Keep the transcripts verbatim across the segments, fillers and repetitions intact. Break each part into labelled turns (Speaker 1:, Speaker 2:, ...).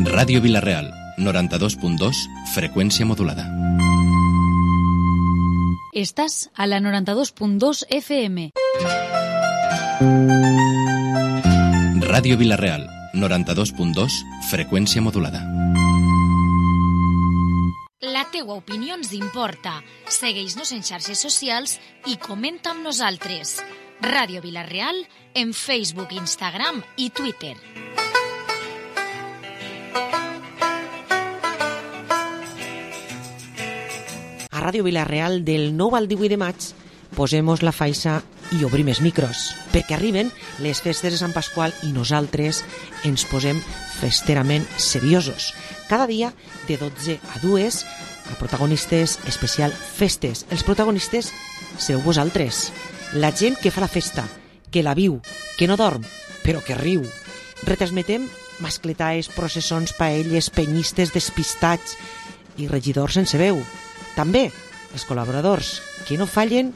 Speaker 1: Ràdio Vila-real, noranta-dos punt dos, freqüència modulada.
Speaker 2: Estàs a la noranta-dos punt dos F M.
Speaker 1: Ràdio Vila-real, noranta-dos punt dos, freqüència modulada.
Speaker 2: La teua opinió ens importa. Segueix-nos en xarxes socials i comenta amb nosaltres. Ràdio Vila-real en Facebook, Instagram i Twitter.
Speaker 3: A Ràdio Vila-real del nou al divuit de maig posem-nos la faixa i obrim els micros, perquè arriben les festes de Sant Pasqual i nosaltres ens posem festerament seriosos. Cada dia de dotze a dues a protagonistes especial festes. Els protagonistes sereu vosaltres, la gent que fa la festa, que la viu, que no dorm, però que riu. Retransmetem mascletaes, processons, paelles, penyistes, despistats i regidors sense veu. També els col·laboradors, que no fallen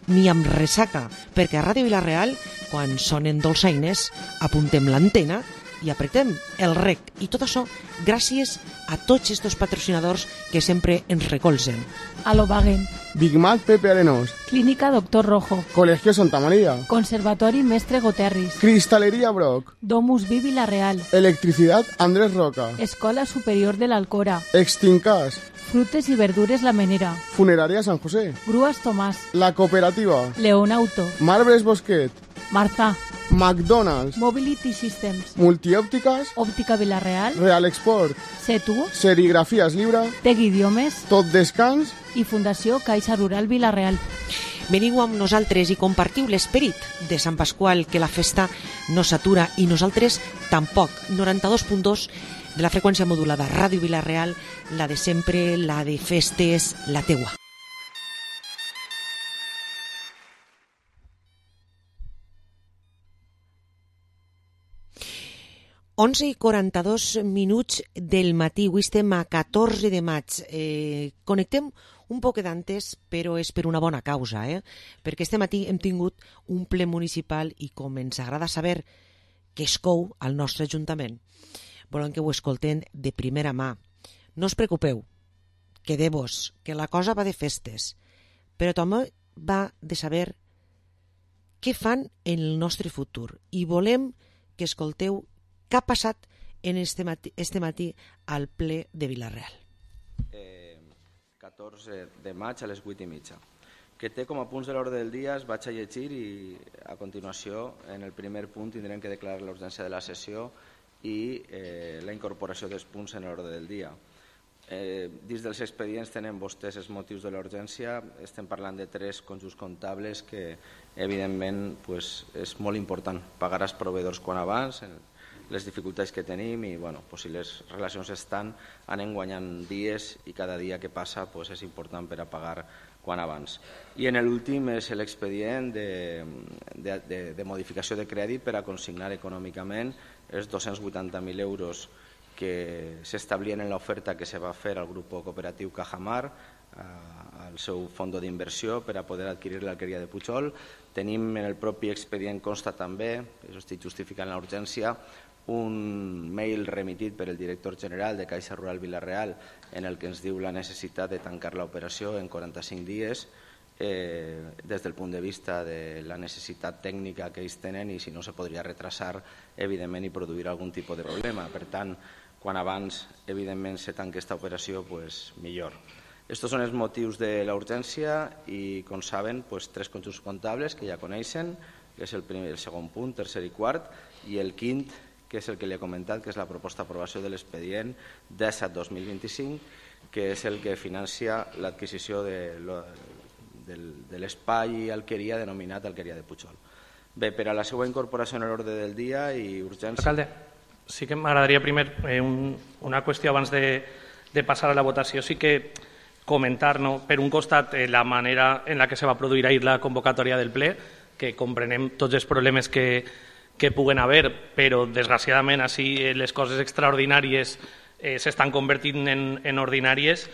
Speaker 3: ni amb ressaca, perquè a Ràdio Vila-real, quan sonen dolçaines, apuntem l'antena i apretem el rec. I tot això gràcies a tots estos patrocinadors que sempre ens recolzen.
Speaker 4: Alobagen,
Speaker 5: Big Mac Pepe Arenos,
Speaker 4: Clínica Doctor Rojo,
Speaker 5: Colegio Santa María,
Speaker 4: Conservatori Mestre Goterris,
Speaker 5: Cristalería Brock,
Speaker 4: Domus Vi Vila-real,
Speaker 5: Electricidad Andrés Roca,
Speaker 4: Escola Superior de l'Alcora,
Speaker 5: Extincas,
Speaker 4: Frutes i Verdures La Menera,
Speaker 5: Funeraria San José,
Speaker 4: Grúas Tomàs,
Speaker 5: La Cooperativa,
Speaker 4: León Auto,
Speaker 5: Marbres Bosquet,
Speaker 4: Marza,
Speaker 5: McDonald's,
Speaker 4: Mobility Systems,
Speaker 5: Multiòptiques,
Speaker 4: Òptica Vila-real,
Speaker 5: Real Export,
Speaker 4: Setu,
Speaker 5: Serigrafías Libra,
Speaker 4: Tec Idiomes
Speaker 5: Tot Descans
Speaker 4: i Fundació Caixa Rural Vila-real.
Speaker 3: Veniu amb nosaltres i compartiu l'esperit de Sant Pasqual, que la festa no s'atura i nosaltres tampoc. noranta-dos punt dos de la freqüència modulada, Ràdio Vila-real, la de sempre, la de festes, la teua. onze i quaranta-dos minuts del matí, avui estem a catorze de maig. Eh, connectem un poc d'antes, però és per una bona causa, eh? perquè este matí hem tingut un ple municipal i com ens agrada saber què es cou al nostre ajuntament, volem que ho escolten de primera mà. No us preocupeu, quedeu-vos, que la cosa va de festes, però també va de saber què fan en el nostre futur i volem que escolteu què ha passat en este matí, este matí al ple de Vila-real.
Speaker 6: Eh, catorze de maig a les vuit i mitja. Que té com a punts de l'ordre del dia, es vaig a llegir i a continuació en el primer punt tindrem que declarar l'urgència de la sessió i eh, la incorporació dels punts en l'ordre del dia. Eh, dins dels expedients tenen vostès els motius de l'urgència, estem parlant de tres conjunts comptables que evidentment pues, és molt important pagar als proveïdors quan abans, les dificultats que tenim i bueno, pues, si les relacions estan, anem guanyant dies i cada dia que passa pues, és important per a pagar quan abans. I en l'últim és l'expedient de, de, de, de modificació de crèdit per a consignar econòmicament els dos-cents vuitanta mil euros que s'establien en l'oferta que se va fer al grup cooperatiu Cajamar, al seu fons d'inversió per a poder adquirir l'alqueria de Pujol. Tenim en el propi expedient consta també, això estic justificant la urgència, un mail remitit per el director general de Caixa Rural Vila-real en el que ens diu la necessitat de tancar l'operació en quaranta-cinc dies eh, des del punt de vista de la necessitat tècnica que ells tenen i si no se podria retrasar evidentment i produir algun tipus de problema. Per tant, quan abans evidentment se tanqui aquesta operació, pues, millor. Estos són els motius de la urgència i, com saben, pues, tres conjunts comptables que ja coneixen, que és el, primer, el segon punt, tercer i quart, i el quint, que és el que li he comentat, que és la proposta d'aprovació de l'expedient disset dos mil vint-i-cinc, que és el que financia l'adquisició de, de, de l'espai i alqueria denominat alqueria de Pujol. Bé, per a la seva incorporació en l'ordre del dia i urgència...
Speaker 7: Alcalde, sí que m'agradaria primer eh, un, una qüestió abans de, de passar a la votació. Sí que comentar, no, per un costat, eh, la manera en la que se va produir ahir la convocatòria del ple, que comprenem tots els problemes que que puguen haver, però desgraciadament així les coses extraordinàries eh, s'estan convertint en, en ordinàries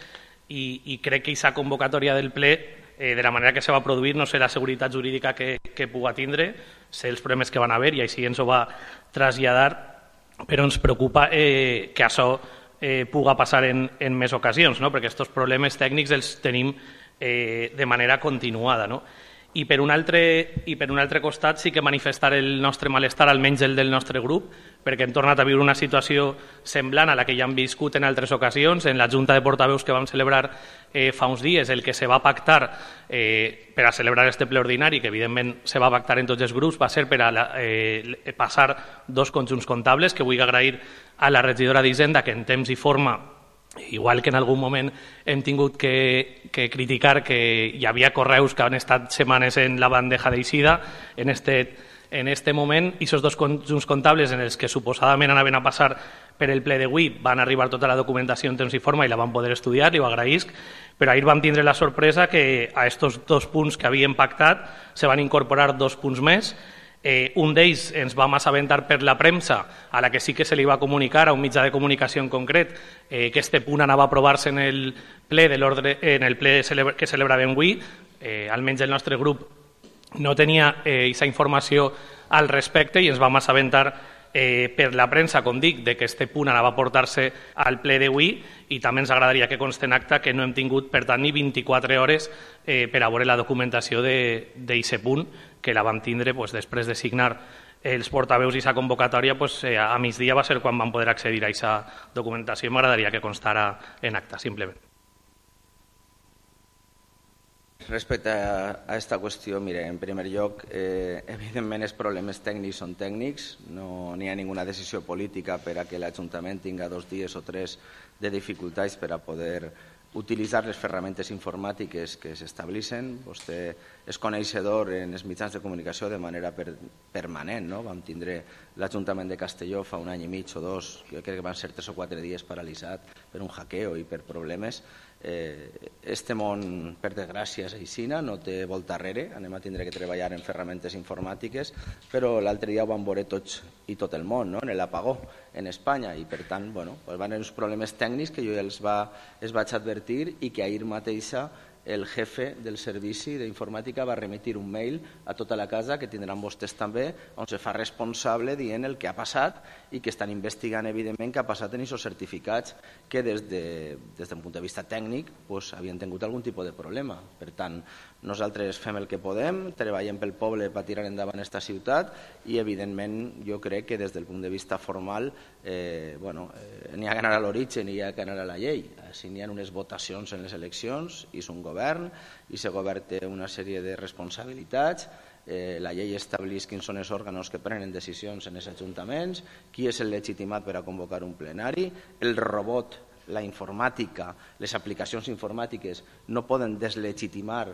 Speaker 7: i, i crec que aquesta convocatòria del ple, eh, de la manera que se va produir, no sé la seguretat jurídica que, que puga tindre, sé els problemes que van haver i així ens ho va traslladar, però ens preocupa eh, que això eh, puga passar en, en més ocasions, no? Perquè aquests problemes tècnics els tenim eh, de manera continuada, no? I per, un altre, I per un altre costat sí que manifestar el nostre malestar, almenys el del nostre grup, perquè hem tornat a viure una situació semblant a la que ja hem viscut en altres ocasions. En la Junta de Portaveus que vam celebrar eh, fa uns dies, el que se va pactar eh, per a celebrar este ple ordinari, que evidentment se va pactar en tots els grups, va ser per a la, eh, passar dos conjunts comptables, que vull agrair a la regidora d'Hisenda, que en temps i forma, igual que en algun moment hem tingut que, que criticar que hi havia correus que han estat setmanes en la bandeja d'eixida, en este, en este moment, i aquests dos conjunts comptables en els que suposadament anaven a passar per el ple d'avui van arribar tota la documentació en temps i forma i la van poder estudiar, i ho agraïsc, però ahir vam tindre la sorpresa que a aquests dos punts que havíem pactat se van incorporar dos punts més. Eh, un d'ells ens vam assabentar per la premsa, a la que sí que se li va comunicar a un mitjà de comunicació en concret eh, que este punt anava a aprovar-se en el ple de l'ordre, en el ple celebra, que celebràvem avui. Eh, almenys el nostre grup no tenia aquesta eh, informació al respecte i ens vam assabentar eh, per la premsa, com dic, de que este punt anava a portar-se al ple d'avui, i també ens agradaria que conste en acta que no hem tingut, per tant, ni vint-i-quatre hores eh, per a veure la documentació d'aquest punt, que la vam tindre pues, després de signar els portaveus i aquesta convocatòria, pues, eh, a migdia va ser quan vam poder accedir a aquesta documentació, i m'agradaria que constara en acta, simplement.
Speaker 6: Respecte a aquesta qüestió, mire, en primer lloc, eh, evidentment els problemes tècnics són tècnics, no n'hi ha ninguna decisió política per a que l'Ajuntament tinga dos dies o tres de dificultats per a poder utilitzar les ferramentes informàtiques que s'estableixen. Vostè és coneixedor en els mitjans de comunicació de manera per, permanent, no? Vam tindre l'Ajuntament de Castelló fa un any i mig o dos, jo crec que van ser tres o quatre dies paralitzat per un hackeo i per problemes. Eh, este món, per desgràcia, és aixina, no té volta arrere, anem a tindre que treballar en ferramentes informàtiques, però l'altre dia ho vam veure tots i tot el món, no? En l'apagó en Espanya, i per tant, bueno, pues van haver uns problemes tècnics que jo els, va, els vaig advertir i que ahir mateixa el jefe del servici d'informàtica va remitir un mail a tota la casa, que tindran vostès també, on se fa responsable dient el que ha passat i que estan investigant, evidentment, què ha passat en aquests certificats que des de, des d'un punt de vista tècnic pues, havien tingut algun tipus de problema. Per tant, nosaltres fem el que podem, treballem pel poble per tirar endavant aquesta ciutat i, evidentment, jo crec que des del punt de vista formal eh, bueno, eh, n'hi ha que anar a l'origen i hi ha que anar a la llei. Si n'hi ha unes votacions en les eleccions i és un govern i aquest govern té una sèrie de responsabilitats, eh, la llei estableix quins són els òrgans que prenen decisions en els ajuntaments, qui és el legitimat per a convocar un plenari, el robot, la informàtica, les aplicacions informàtiques no poden deslegitimar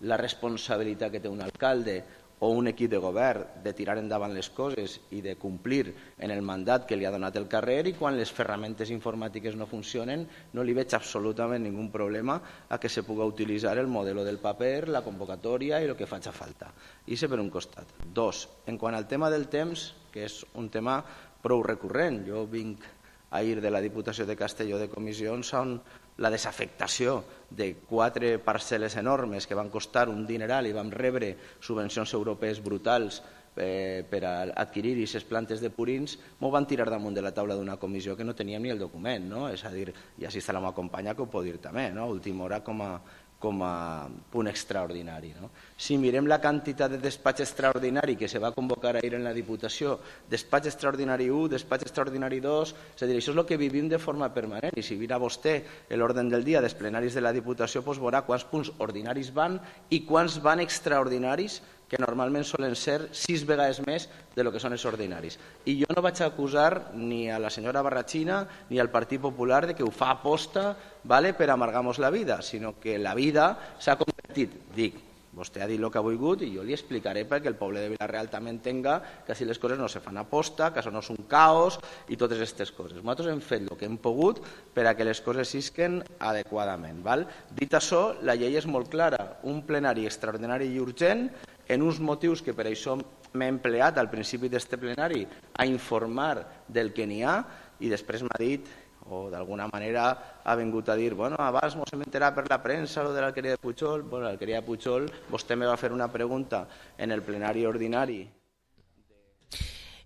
Speaker 6: la responsabilitat que té un alcalde o un equip de govern de tirar endavant les coses i de complir en el mandat que li ha donat el carrer, i quan les ferramentes informàtiques no funcionen no li veig absolutament ningú problema a que se pugui utilitzar el modelo del paper, la convocatòria i el que faci falta. I això per un costat. Dos, en quant al tema del temps, que és un tema prou recurrent, jo vinc ahir de la Diputació de Castelló de comissions on la desafectació de quatre parcel·les enormes que van costar un dineral i vam rebre subvencions europees brutals eh, per a adquirir aquestes plantes de purins, m'ho van tirar damunt de la taula d'una comissió que no teníem ni el document, no? És a dir, i així està la meva companya que ho pot dir també, no? Última hora com a com a punt extraordinari. No? Si mirem la quantitat de despatx extraordinari que se va convocar ahir en la Diputació, despatx extraordinari u, despatx extraordinari dos, és a dir, això és el que vivim de forma permanent, i si mira vostè l'ordre del dia dels plenaris de la Diputació, doncs veurà quants punts ordinaris van i quants van extraordinaris, que normalment solen ser sis vegades més de lo que són els ordinaris. I jo no vaig acusar ni a la senyora Barrachina ni al Partit Popular de que ho fa aposta, vale, per amargar-nos la vida, sinó que la vida s'ha convertit, dic, vostè ha dit el que ha volgut i jo li explicaré perquè el poble de Vila-real també entenga que si les coses no se fan aposta, que això no és un caos i totes aquestes coses. Nosaltres hem fet el que hem pogut per a que les coses sisquen adequadament. Val? Dit això, la llei és molt clara, un plenari extraordinari i urgent en uns motius que per això m'he empleat al principi d'aquest plenari a informar del que n'hi ha, i després m'ha dit, o d'alguna manera ha vingut a dir, bueno, abans ens hem enterat per la premsa lo de l'alqueria de Pujol. Bueno, l'alqueria de Pujol, vostè me va fer una pregunta en el plenari ordinari.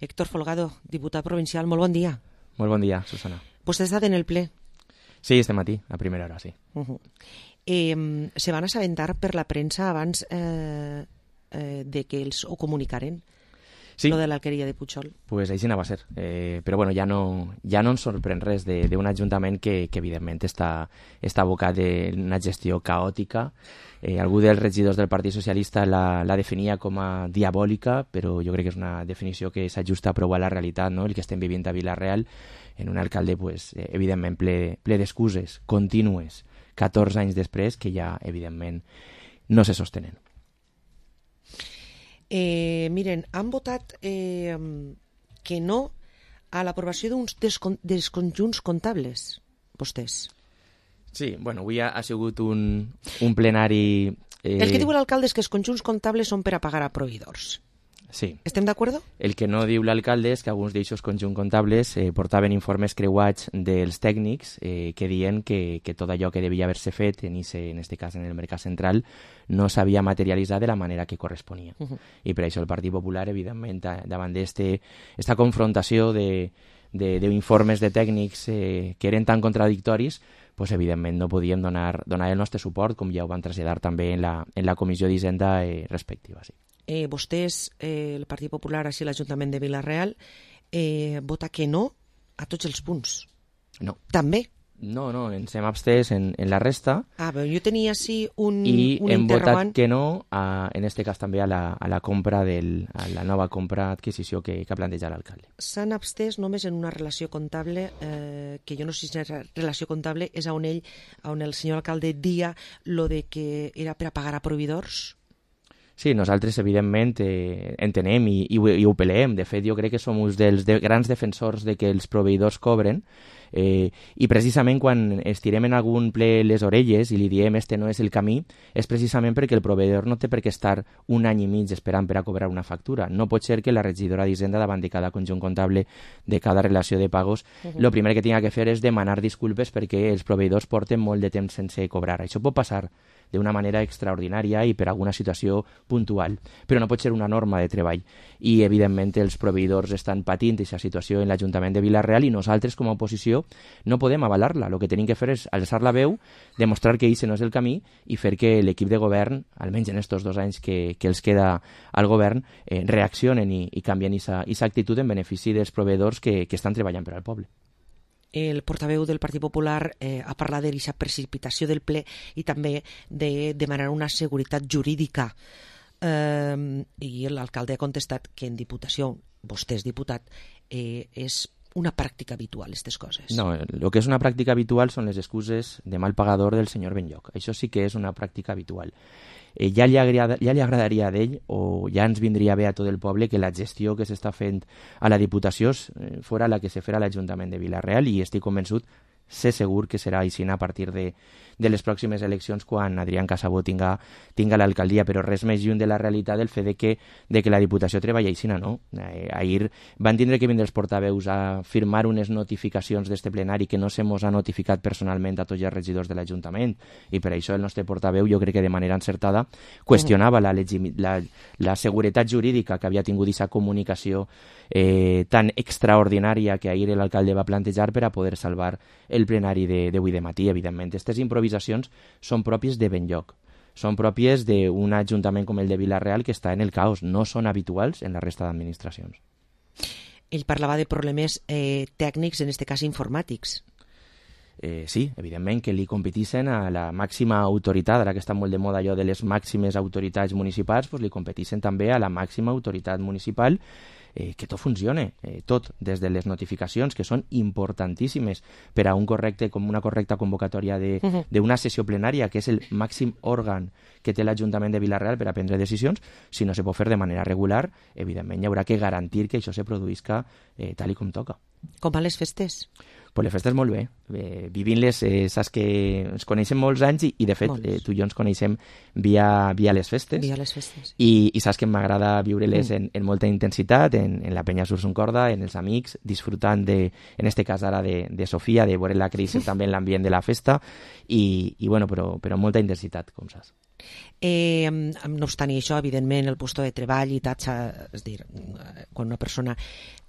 Speaker 3: Héctor Folgado, diputat provincial, molt bon dia.
Speaker 8: Molt bon dia, Susana.
Speaker 3: Vostè ha estat en el ple?
Speaker 8: Sí, este matí, a primera hora, sí.
Speaker 3: Uh -huh. eh, se van assabentar per la premsa abans eh, eh, de que els ho comunicaren?
Speaker 8: Sí.
Speaker 3: Lo de l'alqueria de Pujol.
Speaker 8: Pues així anava a ser. Eh, però bueno, ja no, ja no ens sorprèn res d'un ajuntament que, que evidentment està, està abocat d'una gestió caòtica. Eh, algú dels regidors del Partit Socialista la, la definia com a diabòlica, però jo crec que és una definició que s'ajusta prou a la realitat, no? El que estem vivint a Vila-real, en un alcalde, pues, eh, evidentment, ple, ple d'excuses contínues, catorze anys després, que ja, evidentment, no se sostenen.
Speaker 3: Eh, miren, han votat eh, que no a l'aprovació d'uns descon desconjunts comptables, vostès.
Speaker 8: Sí, bueno, avui ha, ha sigut un, un plenari...
Speaker 3: Eh... El que diu l'alcalde és que els conjunts comptables són per a pagar a proveïdors.
Speaker 8: Sí.
Speaker 3: Estem d'acord?
Speaker 8: El que no diu l'alcalde és que alguns d'aixos conjunts comptables eh, portaven informes creuats dels tècnics eh, que diuen que, que tot allò que devia haver-se fet, en este en este cas en el Mercat Central, no s'havia materialitzat de la manera que corresponia. Uh -huh. I per això el Partit Popular, evidentment, davant d'esta confrontació d'informes de, de, de tècnics eh, que eren tan contradictoris, pues, evidentment no podíem donar, donar el nostre suport, com ja ho van traslladar també en la, en la comissió d'Hisenda eh, respectiva. Sí.
Speaker 3: Eh, vostès, eh, el Partit Popular, així l'Ajuntament de Vila-real, eh, vota que no a tots els punts.
Speaker 8: No.
Speaker 3: També?
Speaker 8: No, no, ens hem abstès en, en la resta.
Speaker 3: Ah, però jo tenia així un,
Speaker 8: i
Speaker 3: un
Speaker 8: hem
Speaker 3: interrogant.
Speaker 8: votat que no, a, en este cas també a la, a la compra del, a la nova compra adquisició que, que ha plantejat l'alcalde.
Speaker 3: S'han abstès només en una relació comptable, eh, que jo no sé si és relació comptable, és on ell, on el senyor alcalde dia lo de que era per a pagar a proveïdors.
Speaker 8: Sí, nosaltres, evidentment, eh, entenem i, i, i ho peleem. De fet, jo crec que som uns dels de, grans defensors de que els proveïdors cobren, eh, i precisament quan estirem en algun ple les orelles i li diem este no és el camí, és precisament perquè el proveïdor no té per què estar un any i mig esperant per a cobrar una factura. No pot ser que la regidora d'Hisenda, davant de cada conjunt comptable, de cada relació de pagos, el uh-huh. primer que tinga que fer és demanar disculpes perquè els proveïdors porten molt de temps sense cobrar. Això pot passar d'una manera extraordinària i per alguna situació puntual, però no pot ser una norma de treball. I, evidentment, els proveïdors estan patint aquesta situació en l'Ajuntament de Vila-real i nosaltres, com a oposició, no podem avalar-la. El que tenim que fer és alçar la veu, demostrar que això no és el camí i fer que l'equip de govern, almenys en aquests dos anys que, que els queda al govern, eh, reaccionen i, i canvien aquesta actitud en benefici dels proveïdors que, que estan treballant per al poble.
Speaker 3: El portaveu del Partit Popular eh, ha parlat d'aquesta precipitació del ple i també de demanar una seguretat jurídica. Eh, I l'alcalde ha contestat que en Diputació, vostè és diputat, eh, és una pràctica habitual, aquestes coses.
Speaker 8: No, el que és una pràctica habitual són les excuses de mal pagador del senyor Benlloc. Això sí que és una pràctica habitual. Eh, ja, li agrada, ja li agradaria a ell, o ja ens vindria bé a tot el poble, que la gestió que s'està fent a la Diputació eh, fora la que se farà a l'Ajuntament de Vila-real, i estic convençut, sé segur que serà així a partir de, de les pròximes eleccions quan Adrián Casabó tinga, tinga l'alcaldia, però res més lluny de la realitat del fet de que, de que la Diputació treballa així, no? Eh, ahir van tindre que vindre els portaveus a firmar unes notificacions d'este plenari que no se mos ha notificat personalment a tots els regidors de l'Ajuntament, i per això el nostre portaveu, jo crec que de manera encertada, qüestionava la, la, la seguretat jurídica que havia tingut aquesta comunicació eh, tan extraordinària que ahir l'alcalde va plantejar per a poder salvar el plenari d'avui de matí. Evidentment, aquestes improvisacions són pròpies de Benlloc, són pròpies d'un ajuntament com el de Vila-real que està en el caos, no són habituals en la resta d'administracions.
Speaker 3: Ell parlava de problemes eh, tècnics, en aquest cas informàtics.
Speaker 8: Eh, sí, evidentment que li competeixen a la màxima autoritat, ara que està molt de moda allò de les màximes autoritats municipals, doncs li competeixen també a la màxima autoritat municipal, eh, que tot funcione, eh, tot, des de les notificacions, que són importantíssimes per a un correcte, com una correcta convocatòria d'una sessió plenària, que és el màxim òrgan que té l'Ajuntament de Vila-real per a prendre decisions. Si no se pot fer de manera regular, evidentment hi haurà que garantir que això se produïsca eh, tal i com toca.
Speaker 3: Com van les festes?
Speaker 8: Pues les festes molt bé. Eh, Vivint-les, eh, saps que ens coneixem molts anys i, i de fet, eh, tu i jo ens coneixem via, via les festes.
Speaker 3: Via les festes.
Speaker 8: I, i saps que m'agrada viure-les mm. en, en molta intensitat, en, en la penya Sursun Corda, en els amics, disfrutant de, en este cas ara de, de Sofia, de veure-la créixer també en l'ambient de la festa, i, i bueno, però, però molta intensitat, com saps.
Speaker 3: Eh, no obstant això, evidentment, el lloc de treball i taxa, és dir, quan una persona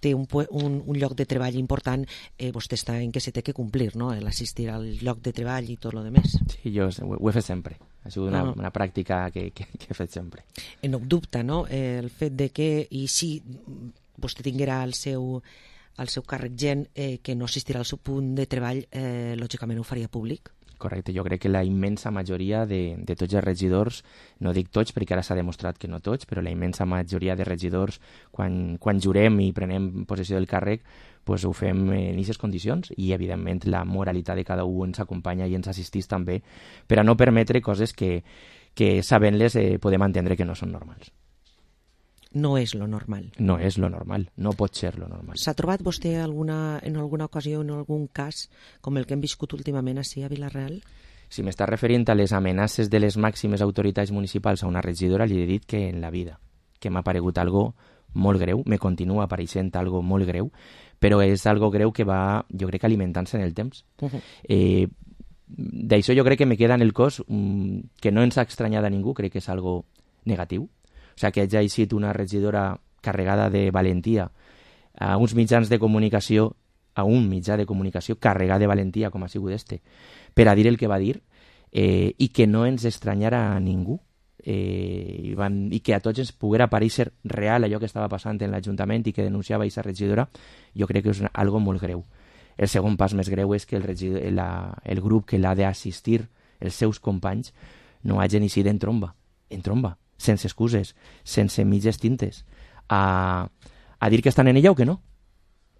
Speaker 3: té un, un, un lloc de treball important, eh, vostè està en què se té que complir, no? L'assistir al lloc de treball i tot el demés.
Speaker 8: Sí, jo ho, ho he fet sempre. Ha sigut una,
Speaker 3: Ah.
Speaker 8: una pràctica que, que, que he fet sempre.
Speaker 3: Eh, no dubta, no? Eh, el fet de que, i si vostè tinguera el seu, el seu càrrec gent eh, que no assistirà al seu punt de treball, eh, lògicament ho faria públic.
Speaker 8: Correcte, jo crec que la immensa majoria de, de tots els regidors, no dic tots perquè ara s'ha demostrat que no tots, però la immensa majoria de regidors, quan, quan jurem i prenem possessió del càrrec, pues ho fem en aquestes condicions i, evidentment, la moralitat de cada un ens acompanya i ens assistís també per a no permetre coses que, que sabent-les, eh, podem entendre que no són normals.
Speaker 3: No és lo normal.
Speaker 8: No és lo normal, no pot ser lo normal.
Speaker 3: S'ha trobat vostè alguna, en alguna ocasió, en algun cas, com el que hem viscut últimament així a Vila-real?
Speaker 8: Si m'està referint a les amenaces de les màximes autoritats municipals a una regidora, li he dit que en la vida, que m'ha paregut algo molt greu, me continua apareixent algo molt greu, però és algo greu que va, jo crec, alimentant-se en el temps.
Speaker 3: Uh -huh.
Speaker 8: eh, D'això jo crec que me queda en el cos um, que no ens ha estranyat a ningú, crec que és algo negatiu. O sigui, que hagi eixit una regidora carregada de valentia a uns mitjans de comunicació, a un mitjà de comunicació carregat de valentia, com ha sigut este, per a dir el que va dir, eh, i que no ens estranyara a ningú, eh, i, van, i que a tots ens poguera aparèixer real allò que estava passant en l'Ajuntament i que denunciava aquesta regidora, jo crec que és algo molt greu. El segon pas més greu és que el, regidor, la, el grup que l'ha d'assistir, els seus companys, no hagin eixit en tromba, en tromba, sense excuses, sense mitges tintes, a, a dir que estan en ella o que no.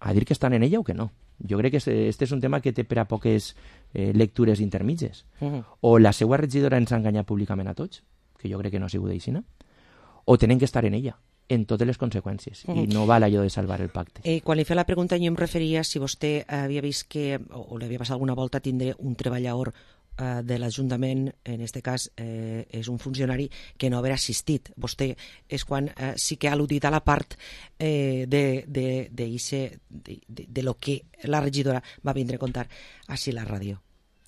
Speaker 8: A dir que estan en ella o que no. Jo crec que este és un tema que té per a poques eh, lectures intermitges. Uh -huh. O la seva regidora ens ha enganyat públicament a tots, que jo crec que no ha sigut aixina, o tenen que estar en ella, en totes les conseqüències, uh -huh. i no val allò de salvar el pacte.
Speaker 3: Eh, quan li feia la pregunta jo em referia si vostè havia vist que, o, o li havia passat alguna volta tindre un treballador eh, de l'Ajuntament, en aquest cas eh, és un funcionari que no haver assistit. Vostè és quan eh, sí que ha al·ludit a la part eh, de, de, de, ixe, de, de, de lo que la regidora va vindre a contar així a la ràdio.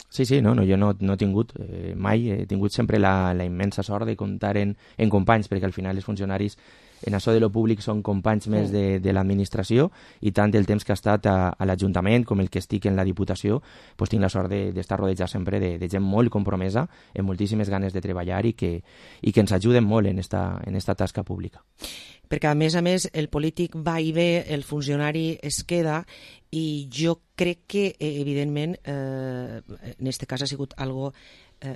Speaker 8: Sí, sí, no, no jo no, no he tingut eh, mai, he tingut sempre la, la immensa sort de comptar en, en companys, perquè al final els funcionaris en això de lo públic són companys més de, de l'administració, i tant del temps que ha estat a, a l'Ajuntament com el que estic en la Diputació, pues tinc la sort d'estar de, rodejat sempre de, de gent molt compromesa, amb moltíssimes ganes de treballar i que, i que ens ajuden molt en esta, en esta tasca pública.
Speaker 3: Perquè, a més a més, el polític va i ve, el funcionari es queda, i jo crec que, eh, evidentment, eh, en aquest cas ha sigut algo... Eh,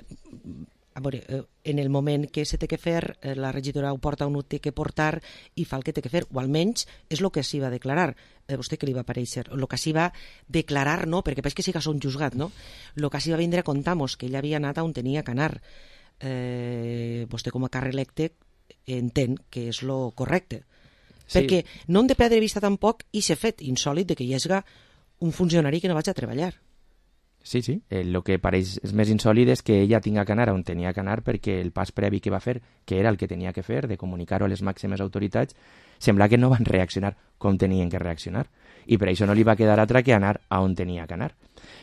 Speaker 3: a veure, eh, en el moment que se té que fer, eh, la regidora ho porta on ho té que portar i fa el que té que fer, o almenys és el que s'hi va declarar. Eh, vostè que li va aparèixer? El que s'hi va declarar, no, perquè pareix que sí que són juzgat, no? El que s'hi va vindre a contar-nos, que ella havia anat on tenia que anar. Eh, vostè com a càrrec electe entén que és lo correcte. Sí. Perquè no hem de perdre de vista tampoc i s'ha fet insòlit de que hi hagi un funcionari que no vaig a treballar.
Speaker 8: Sí, sí. El que pareix és més insòlid és que ella tinga que anar on tenia que anar, perquè el pas previ que va fer, que era el que tenia que fer, de comunicar-ho a les màximes autoritats, sembla que no van reaccionar com tenien que reaccionar. I per això no li va quedar altra que anar a on tenia que anar.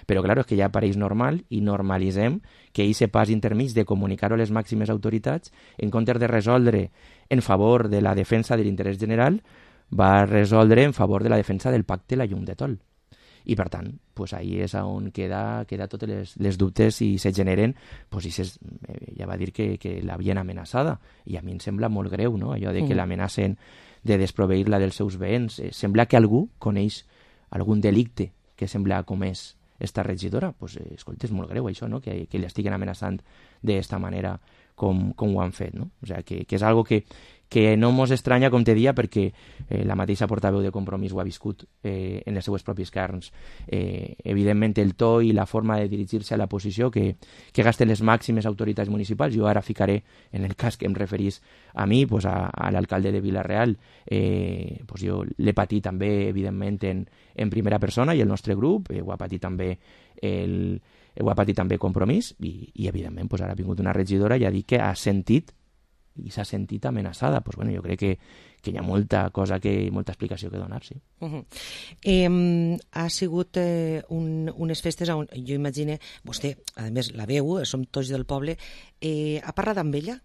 Speaker 8: Però, clar, és que ja pareix normal i normalitzem que aquest pas intermig de comunicar-ho a les màximes autoritats, en comptes de resoldre en favor de la defensa de l'interès general, va resoldre en favor de la defensa del pacte la llum de Tol. I, per tant, pues, ahí és on queda, queda totes les, les dubtes i se generen, pues, i ses, eh, ja va dir que, que l'havien amenaçada, i a mi em sembla molt greu, no?, allò de que mm. l'amenacen de desproveir-la dels seus béns. Eh, sembla que algú coneix algun delicte que sembla ha comès esta regidora. Pues, eh, escolta, és molt greu això, no?, que, que li estiguen amenaçant d'esta manera com, com ho han fet, no? O sigui, que, que és algo que, que no mos estranya, com te dia, perquè eh, la mateixa portaveu de Compromís ho ha viscut eh, en les seues propis carns. Eh, evidentment, el to i la forma de dirigir-se a la posició que, que gasten les màximes autoritats municipals. Jo ara ficaré, en el cas que em referís a mi, pues a, a l'alcalde de Vila-real, eh, pues jo l'he patit també, evidentment, en, en primera persona, i el nostre grup, eh, ho ha patit també el, ho ha patit també Compromís, i, i evidentment, pues ara ha vingut una regidora i ha dit que ha sentit i s'ha sentit amenaçada. Pues, bueno, jo crec que, que hi ha molta cosa, que, molta explicació que donar, sí.
Speaker 3: Uh -huh. eh, ha sigut eh, un, unes festes on, jo imagine, vostè, a més, la veu, som tots del poble, eh, ha parlat amb ella?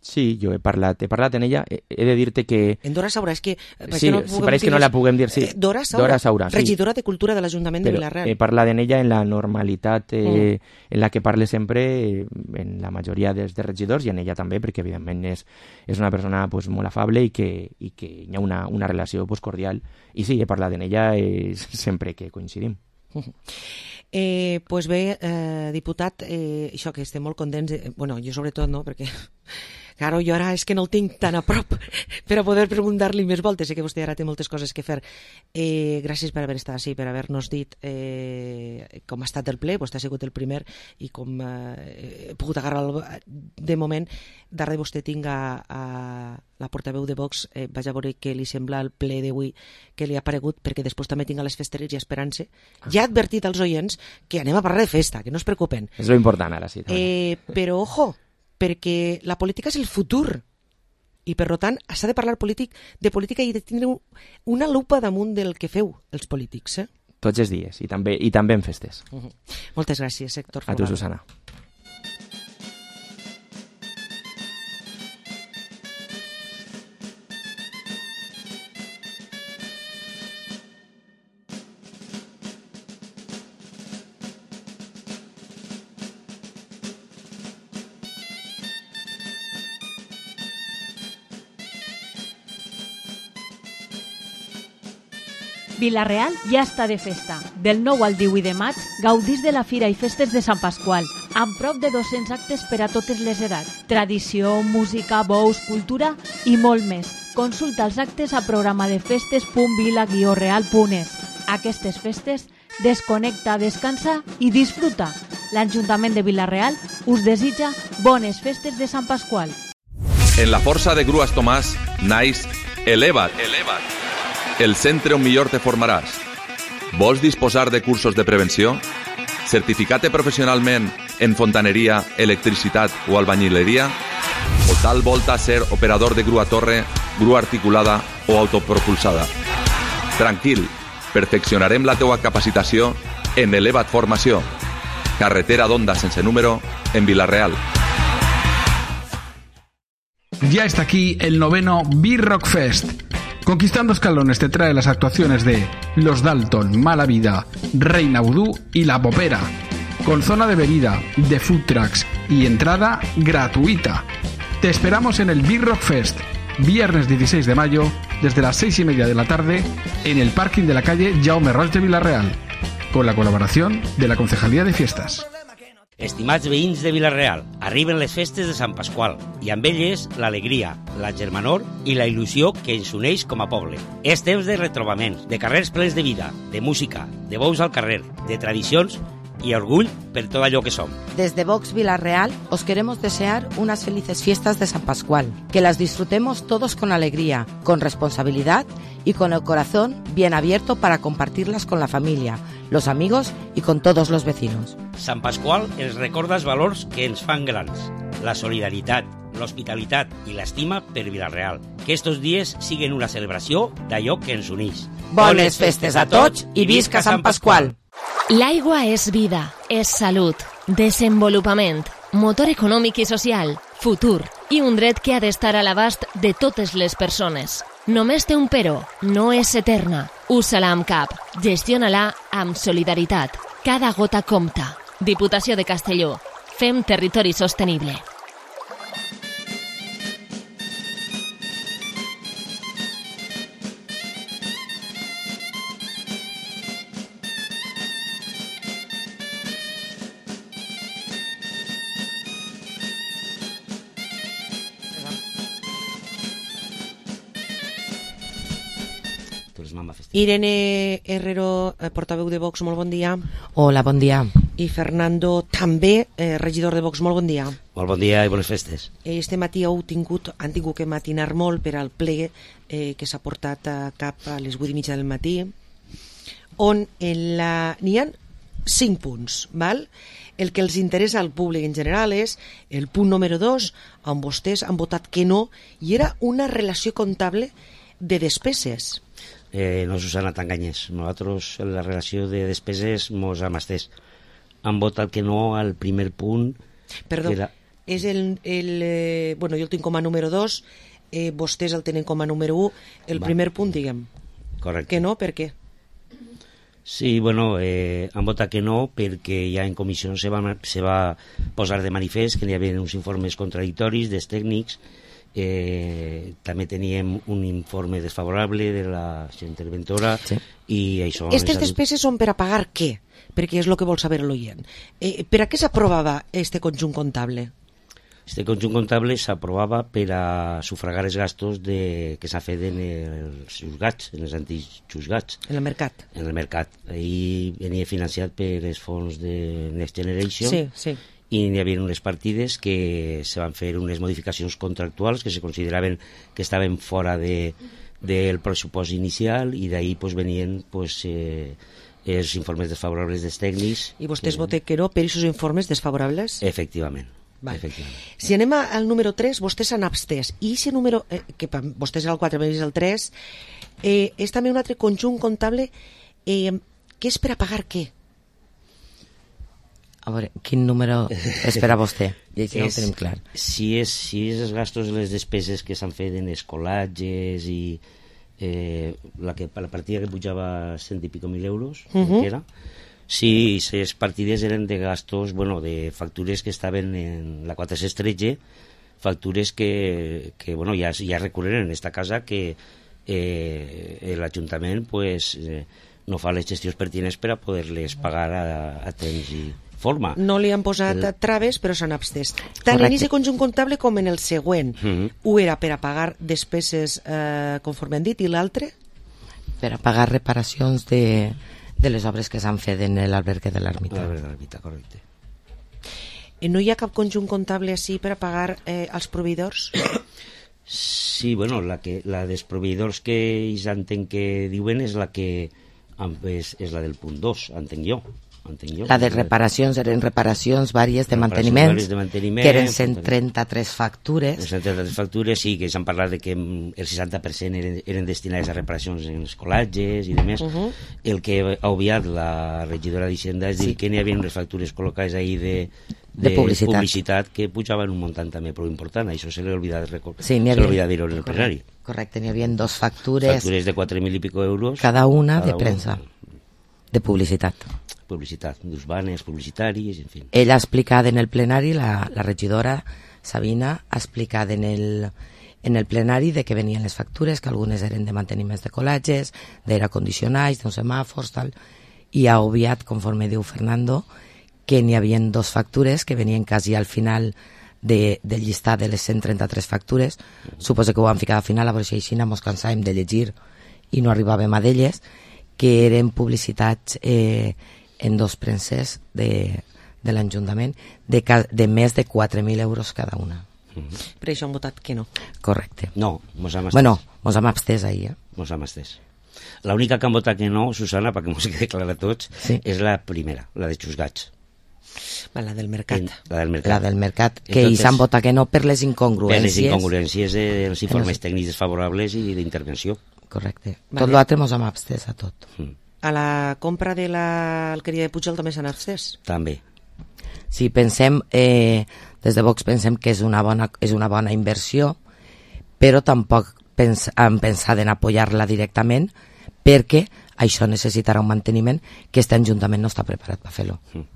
Speaker 8: Sí, jo he parlat, he parlat en ella, he, he de dir-te que...
Speaker 3: En Dora Saura, és que...
Speaker 8: Sí, no sí, pareix que no la puguem dir, sí.
Speaker 3: Eh, Dora Saura,
Speaker 8: Dora Saura sí.
Speaker 3: Regidora de Cultura de l'Ajuntament de Vila-real.
Speaker 8: He parlat en ella en la normalitat eh, mm. en la que parle sempre, en la majoria dels de regidors, i en ella també, perquè evidentment és, és una persona pues, molt afable i que, i que hi ha una, una relació pues, cordial. I sí, he parlat en ella eh, sempre que coincidim.
Speaker 3: Eh, pues bé, eh, diputat, eh, això que estem molt contents, eh, bueno, jo sobretot no, perquè claro, jo ara és que no el tinc tan a prop per a poder preguntar-li més voltes, sé que vostè ara té moltes coses que fer. Eh, gràcies per haver estat així, per haver-nos dit eh, com ha estat el ple, vostè ha sigut el primer i com eh, he pogut agarrar el, de moment, darrere vostè tinc a, a la portaveu de Vox, eh, vaig a veure què li sembla el ple d'avui que li ha aparegut, perquè després també tinc a les festeres i esperant-se. Ja ha advertit als oients que anem a parlar de festa, que no es preocupen.
Speaker 8: És lo important ara, sí.
Speaker 3: Eh, però, ojo, perquè la política és el futur i, per tant, s'ha de parlar polític, de política i de tindre una lupa damunt del que feu els polítics. Eh?
Speaker 8: Tots els dies, i també, i també en festes.
Speaker 3: Uh -huh. Moltes gràcies, Héctor
Speaker 8: Folgado. A tu, Susana.
Speaker 4: Vila-real ja està de festa. Del nou al divuit de maig gaudís de la Fira i Festes de Sant Pasqual, amb prop de dos-cents actes per a totes les edats. Tradició, música, bous, cultura i molt més. Consulta els actes a programadefestes punt vila guió real punt es. Aquestes festes, desconnecta, descansa i disfruta. L'Ajuntament de Vila-real us desitja bones festes de Sant Pasqual.
Speaker 9: En la força de Grues Tomàs naix Eleva't. Eleva't. El centre on millor te formaràs. Vols disposar de cursos de prevenció? Certificat-te professionalment en fontaneria, electricitat o albañileria? O tal volta ser operador de grua torre, grua articulada o autopropulsada? Tranquil, perfeccionarem la teua capacitació en Eleva't Formació. Carretera d'Onda sense número en Vila-real.
Speaker 10: Ya está aquí el noveno B-Rock Fest. Conquistando escalones te trae las actuaciones de Los Dalton, Mala Vida, Reina Vudú y La Popera, con zona de bebida, de food trucks y entrada gratuita. Te esperamos en el B-Rock Fest, viernes dieciséis de mayo, desde las seis y media de la tarde, en el parking de la calle Jaume Roig de Vila-real, con la colaboración de la Concejalía de Fiestas.
Speaker 11: Estimats veïns de Vila-real, arriben les festes de Sant Pasqual i amb elles l'alegria, la germanor i la il·lusió que ens uneix com a poble. És temps de retrobaments, de carrers plens de vida, de música, de bous al carrer, de tradicions y orgull per todo allò que som.
Speaker 12: Desde Vox Vila-real os queremos desear unas felices fiestas de San Pascual, que las disfrutemos todos con alegría, con responsabilidad y con el corazón bien abierto para compartirlas con la familia, los amigos y con todos los vecinos.
Speaker 11: Sant Pasqual ens recorda els valors que ens fan grans, la solidaritat, l'hospitalitat i l'estima per Vila-real. Que estos dies siguen una celebració d'allò que ens uneix.
Speaker 12: Bones festes a tots i visca Sant Pasqual!
Speaker 2: L'aigua és vida, és salut, desenvolupament, motor econòmic i social, futur i un dret que ha d'estar a l'abast de totes les persones. Només té un però, no és eterna. Usa-la amb cap, gestiona-la amb solidaritat. Cada gota compta. Diputació de Castelló. Fem territori sostenible.
Speaker 3: Irene Herrero, portaveu de Vox, molt bon dia.
Speaker 12: Hola, bon dia.
Speaker 3: I Fernando, també eh, regidor de Vox, molt bon dia.
Speaker 11: Molt bon dia i bones festes.
Speaker 3: Este matí heu tingut, han tingut que matinar molt per al ple eh, que s'ha portat a cap a les vuit i mitja del matí, on en la... n'hi ha cinc punts, val? El que els interessa al públic en general és el punt número dos, on vostès han votat que no, i era una relació comptable de despeses.
Speaker 11: Eh, no, Susana, t'enganyes. Nosaltres, en la relació de despeses, mos hem estès. Han votat que no al primer punt.
Speaker 3: Perdó,
Speaker 11: era...
Speaker 3: és el... el eh, bueno, jo el tinc com a número dos, eh, vostès el tenen com a número un. El Va. primer punt, diguem.
Speaker 11: Correcte.
Speaker 3: Que no, per què?
Speaker 11: Sí, bueno, eh, han votat que no perquè ja en comissió se va, se va posar de manifest que hi havia uns informes contradictoris dels tècnics. Eh, també teníem un informe desfavorable de la interventora, sí. I això...
Speaker 3: Aquestes despeses són per a pagar què? Perquè és el que vol saber l'oient. Eh, per a què s'aprovava este conjunt comptable?
Speaker 11: Este conjunt comptable s'aprovava per a sufragar els gastos de, que s'ha fet en els juzgats, en els antics juzgats.
Speaker 3: En el mercat.
Speaker 11: En el mercat. Ahir venia financiat per els fons de Next Generation.
Speaker 3: Sí, sí.
Speaker 11: I hi havia unes partides que se van fer unes modificacions contractuals que se consideraven que estaven fora de, del pressupost inicial, i d'ahir pues, venien pues, eh, els informes desfavorables dels tècnics.
Speaker 3: I vostès que... voten que no per aquests informes desfavorables?
Speaker 11: Efectivament.
Speaker 3: Vale. Si anem al número tres, vostès s'han abstès, i aquest número, eh, que vostès el quatre més el tres, eh, és també un altre conjunt comptable eh, que és per a pagar què?
Speaker 12: A veure, quin número és per a vostè? I això no ho tenim clar.
Speaker 11: Si és, si és els gastos i les despeses que s'han fet en escolatges i eh, la, que, la partida que pujava cent i pico mil euros, uh -huh. que era. Sí, les partides eren de gastos, bueno, de factures que estaven en la quatre-cents tretze, factures que, que bueno, ja, ja recurren en esta casa, que eh, l'Ajuntament pues, eh, no fa les gestions pertinents per a poder-les pagar a, a temps i forma.
Speaker 3: No li han posat el... traves, però s'han abstès. Tant Correcte. En aquest conjunt comptable com en el següent. Uh -huh. Un era per a pagar despeses, eh, conforme han dit, i l'altre?
Speaker 12: Per a pagar reparacions de... de les obres que s'han fet en l'albergue de l'Ermita.
Speaker 11: L'albergue de l'Ermita, correcte.
Speaker 3: I no hi ha cap conjunt comptable així per a pagar eh, als proveïdors?
Speaker 11: Sí, bueno, la, que, la dels proveïdors que ells entenc que diuen és la que és, és la del punt dos, entenc jo. Entenc jo.
Speaker 12: La de reparacions eren reparacions vàries de manteniment,
Speaker 11: de manteniment,
Speaker 12: que eren cent trenta-tres factures.
Speaker 11: cent trenta-tres factures, sí, que s'han parlat de que el seixanta per cent eren, eren destinades a reparacions en els col·latges i demés. Uh -huh. El que ha obviat la regidora d'Hisenda és sí. dir que n'hi havia unes factures col·locades ahir de, de,
Speaker 12: de publicitat.
Speaker 11: publicitat que pujaven un muntant també prou important. Això se l'ha oblidat,
Speaker 12: sí,
Speaker 11: oblidat dir-ho en el plenari.
Speaker 12: Correcte, n'hi havia dos factures.
Speaker 11: Factures de quatre mil i pico euros.
Speaker 12: Cada una cada de premsa, una. de publicitat.
Speaker 11: Publicitat, d'ús banes, publicitaris, en fi.
Speaker 12: Ella ha explicat en el plenari, la, la regidora Sabina ha explicat en el, en el plenari de que venien les factures, que algunes eren de manteniments de col·latges, d'aire condicionats, d'uns semàfors, tal, i ha obviat, conforme diu Fernando, que n'hi havia dos factures que venien quasi al final de, del llistat de les cent trenta-tres factures. Mm. Suposo que ho han ficat al final, a veure si així mos cansàvem de llegir i no arribàvem a d'elles, que eren publicitats eh, en dos premses de, de l'Ajuntament de, de més de quatre mil euros cada una.
Speaker 3: Mm-hmm. Per això han votat que no.
Speaker 12: Correcte.
Speaker 11: No, mos hem abstès.
Speaker 12: Bueno, mos hem abstès ahir. Eh?
Speaker 11: Mos hem abstès. L'única que han votat que no, Susana, perquè mos quede clar a tots, sí. és la primera, la de juzgats.
Speaker 3: La del mercat.
Speaker 11: En, la del mercat.
Speaker 12: La del mercat, que Entonces, hi s'han votat que no per les incongruències.
Speaker 11: Per les incongruències dels informes no... tècnics desfavorables i d'intervenció.
Speaker 12: Correcte. Vale. Tot l'altre mos hem abstès a tot.
Speaker 11: Mm.
Speaker 3: A la compra de l'alqueria de Pujol també s'han abstès?
Speaker 11: També.
Speaker 12: Sí, pensem, eh, des de Vox pensem que és una bona, és una bona inversió, però tampoc pens, hem pensat en apoyar-la directament perquè això necessitarà un manteniment que este Ajuntament no està preparat per fer-lo.
Speaker 11: Mm.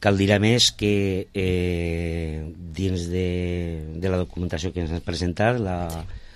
Speaker 11: Cal dir a més que eh, dins de, de la documentació que ens has presentat, la,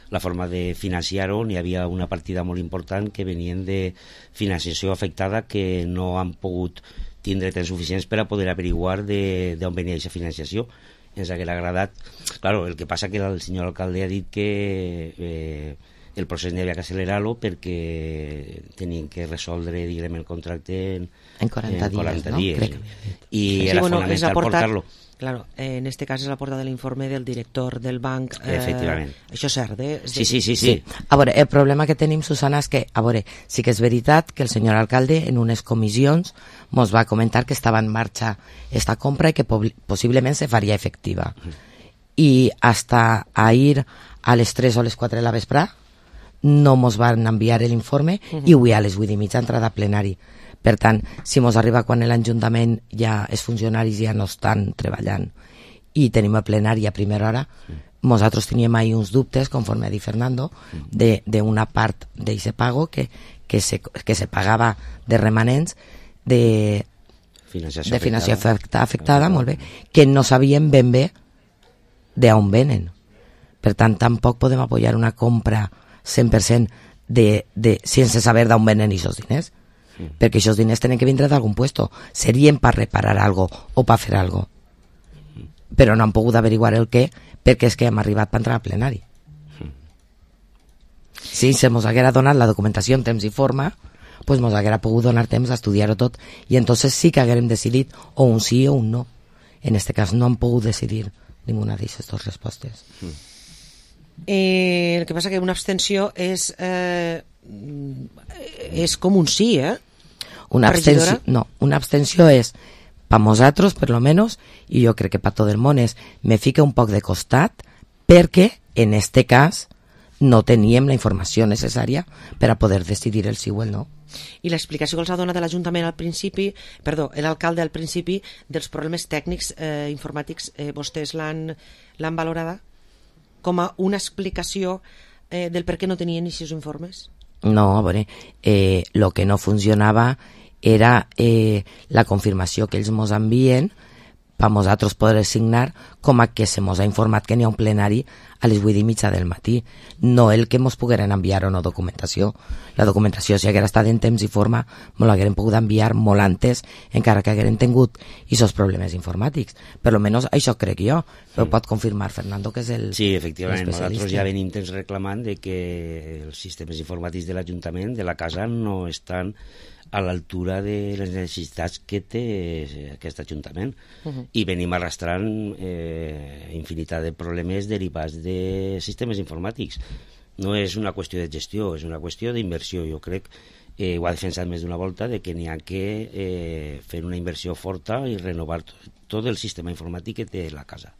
Speaker 11: la forma de financiar-ho, n'hi havia una partida molt important que venien de financiació afectada que no han pogut tindre temps suficients per a poder averiguar d'on venia aquesta financiació. Ens hauria agradat. Claro, el que passa que el senyor alcalde ha dit que eh, el procés n'hi havia que accelerar-lo perquè tenien que resoldre, diguem, el contracte en,
Speaker 12: en quaranta
Speaker 11: en quaranta
Speaker 12: dies,
Speaker 11: dies.
Speaker 12: no?
Speaker 11: I sí,
Speaker 3: sí,
Speaker 11: era
Speaker 3: bueno,
Speaker 11: fonamental
Speaker 3: aportat,
Speaker 11: portar-lo.
Speaker 3: Claro, eh, en este cas és la portada de l'informe del director del banc. Eh,
Speaker 11: Efectivament.
Speaker 3: Això és cert, eh? És
Speaker 11: sí, sí, sí, sí.
Speaker 12: sí. A veure, el problema que tenim, Susana, és que, a veure, sí que és veritat que el senyor alcalde en unes comissions mos va comentar que estava en marxa esta compra i que po possiblement se faria efectiva. I hasta ahir a les tres o les quatre de la vesprà no mos van enviar l'informe uh -huh. i avui a les vuit i mitja entrada a plenari. Per tant, si mos arriba quan l'Ajuntament ja els funcionaris ja no estan treballant i tenim el plenari a primera hora, mm. nosaltres teníem ahir uns dubtes, conforme ha dit Fernando, mm. d'una part d'aquest pago que, que, se, que se pagava de remanents de
Speaker 11: financiació,
Speaker 12: de financiació
Speaker 11: afectada,
Speaker 12: afectada, afectada molt bé, que no sabíem ben bé d'on venen. Per tant, tampoc podem apoyar una compra cent per cent de, de, sense saber d'on venen aquests diners. Mm. Perquè aquests diners tenen que vindre d'algun puesto, serien per reparar algo o per fer algo, mm. però no han pogut averiguar el què perquè és que hem arribat per entrar al plenari. mm. Si se mos haguera donat la documentació en temps i forma, pues mos haguera pogut donar temps a estudiar-ho tot i entonces sí que haguérem decidit o un sí o un no. En este cas no han pogut decidir ninguna d'aquestes dues respostes.
Speaker 3: mm. eh, el que passa que una abstenció és eh, és com un sí, eh?
Speaker 12: Una abstenció, no, una abstenció és per nosaltres, per lo menos, i jo crec que per tot el món és, me fica un poc de costat perquè, en este cas, no teníem la informació necessària per a poder decidir el sí o el no.
Speaker 3: I l'explicació que els ha donat l'Ajuntament al principi, perdó, l'alcalde al principi, dels problemes tècnics eh, informàtics, eh, vostès l'han valorada com a una explicació eh, del per què no tenien aquests informes?
Speaker 12: No, a veure, eh, lo que no funcionava era eh, la confirmació que ells mos envien per nosaltres poder signar com a que se mos ha informat que n'hi ha un plenari a les vuit i mitja del matí, no el que mos pogueren enviar o no documentació. La documentació, si haguera estat en temps i forma, me l'hagueren pogut enviar molt antes, encara que hagueren tingut aquests problemes informàtics. Per lo menos això crec jo, però mm. pot confirmar Fernando, que és el
Speaker 11: Sí, efectivament, nosaltres ja venim temps reclamant de que els sistemes informàtics de l'Ajuntament, de la casa, no estan a l'altura de les necessitats que té aquest Ajuntament. Uh-huh. I venim arrastrant eh, infinitat de problemes derivats de sistemes informàtics. No és una qüestió de gestió, és una qüestió d'inversió. Jo crec, eh, ho ha defensat més d'una volta, de que n'hi ha que eh, fer una inversió forta i renovar tot, tot el sistema informàtic que té la casa.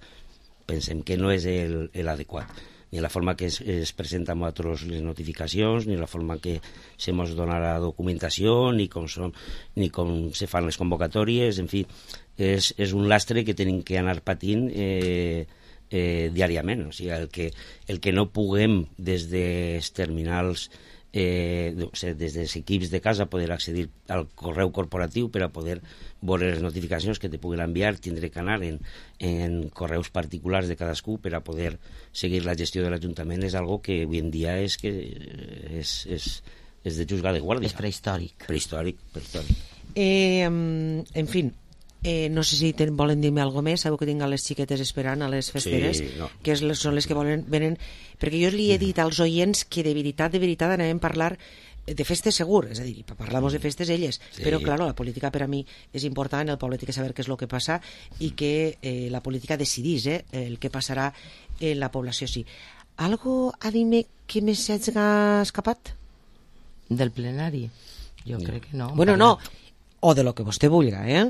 Speaker 11: Pensem que no és l'adequat. Ni la forma que es, es presenta amb nosaltres les notificacions, ni la forma que se mos dona la documentació, ni com, són, ni com se fan les convocatòries, en fi, és, és un lastre que tenim que anar patint eh, eh, diàriament. O sigui, el que, el que no puguem des dels terminals, eh, o sigui, des dels equips de casa, poder accedir al correu corporatiu per a poder veure les notificacions que te puguin enviar, tindré que anar en, en correus particulars de cadascú per a poder seguir la gestió de l'Ajuntament. És algo que avui en dia és que és, és, és de juzgar de guàrdia.
Speaker 12: És prehistòric.
Speaker 11: Prehistòric, prehistòric.
Speaker 3: Eh, en fi, eh, no sé si ten, volen dir-me alguna més. Sabeu que tinc a les xiquetes esperant a les festeres,
Speaker 11: sí, no.
Speaker 3: que és, són les que volen, venen, perquè jo li he dit als oients que de veritat, de veritat anem a parlar de festes segur, és a dir, parlamos de festes elles, sí. Però claro, la política per a mi és important, el poble té que saber què és el que passa i que eh, la política decidís eh, el que passarà en la població. Sí. Algo a dir-me que més s'ha escapat?
Speaker 12: Del plenari? Jo no. crec que no.
Speaker 3: Bueno, no, o de lo que vostè vulga, eh?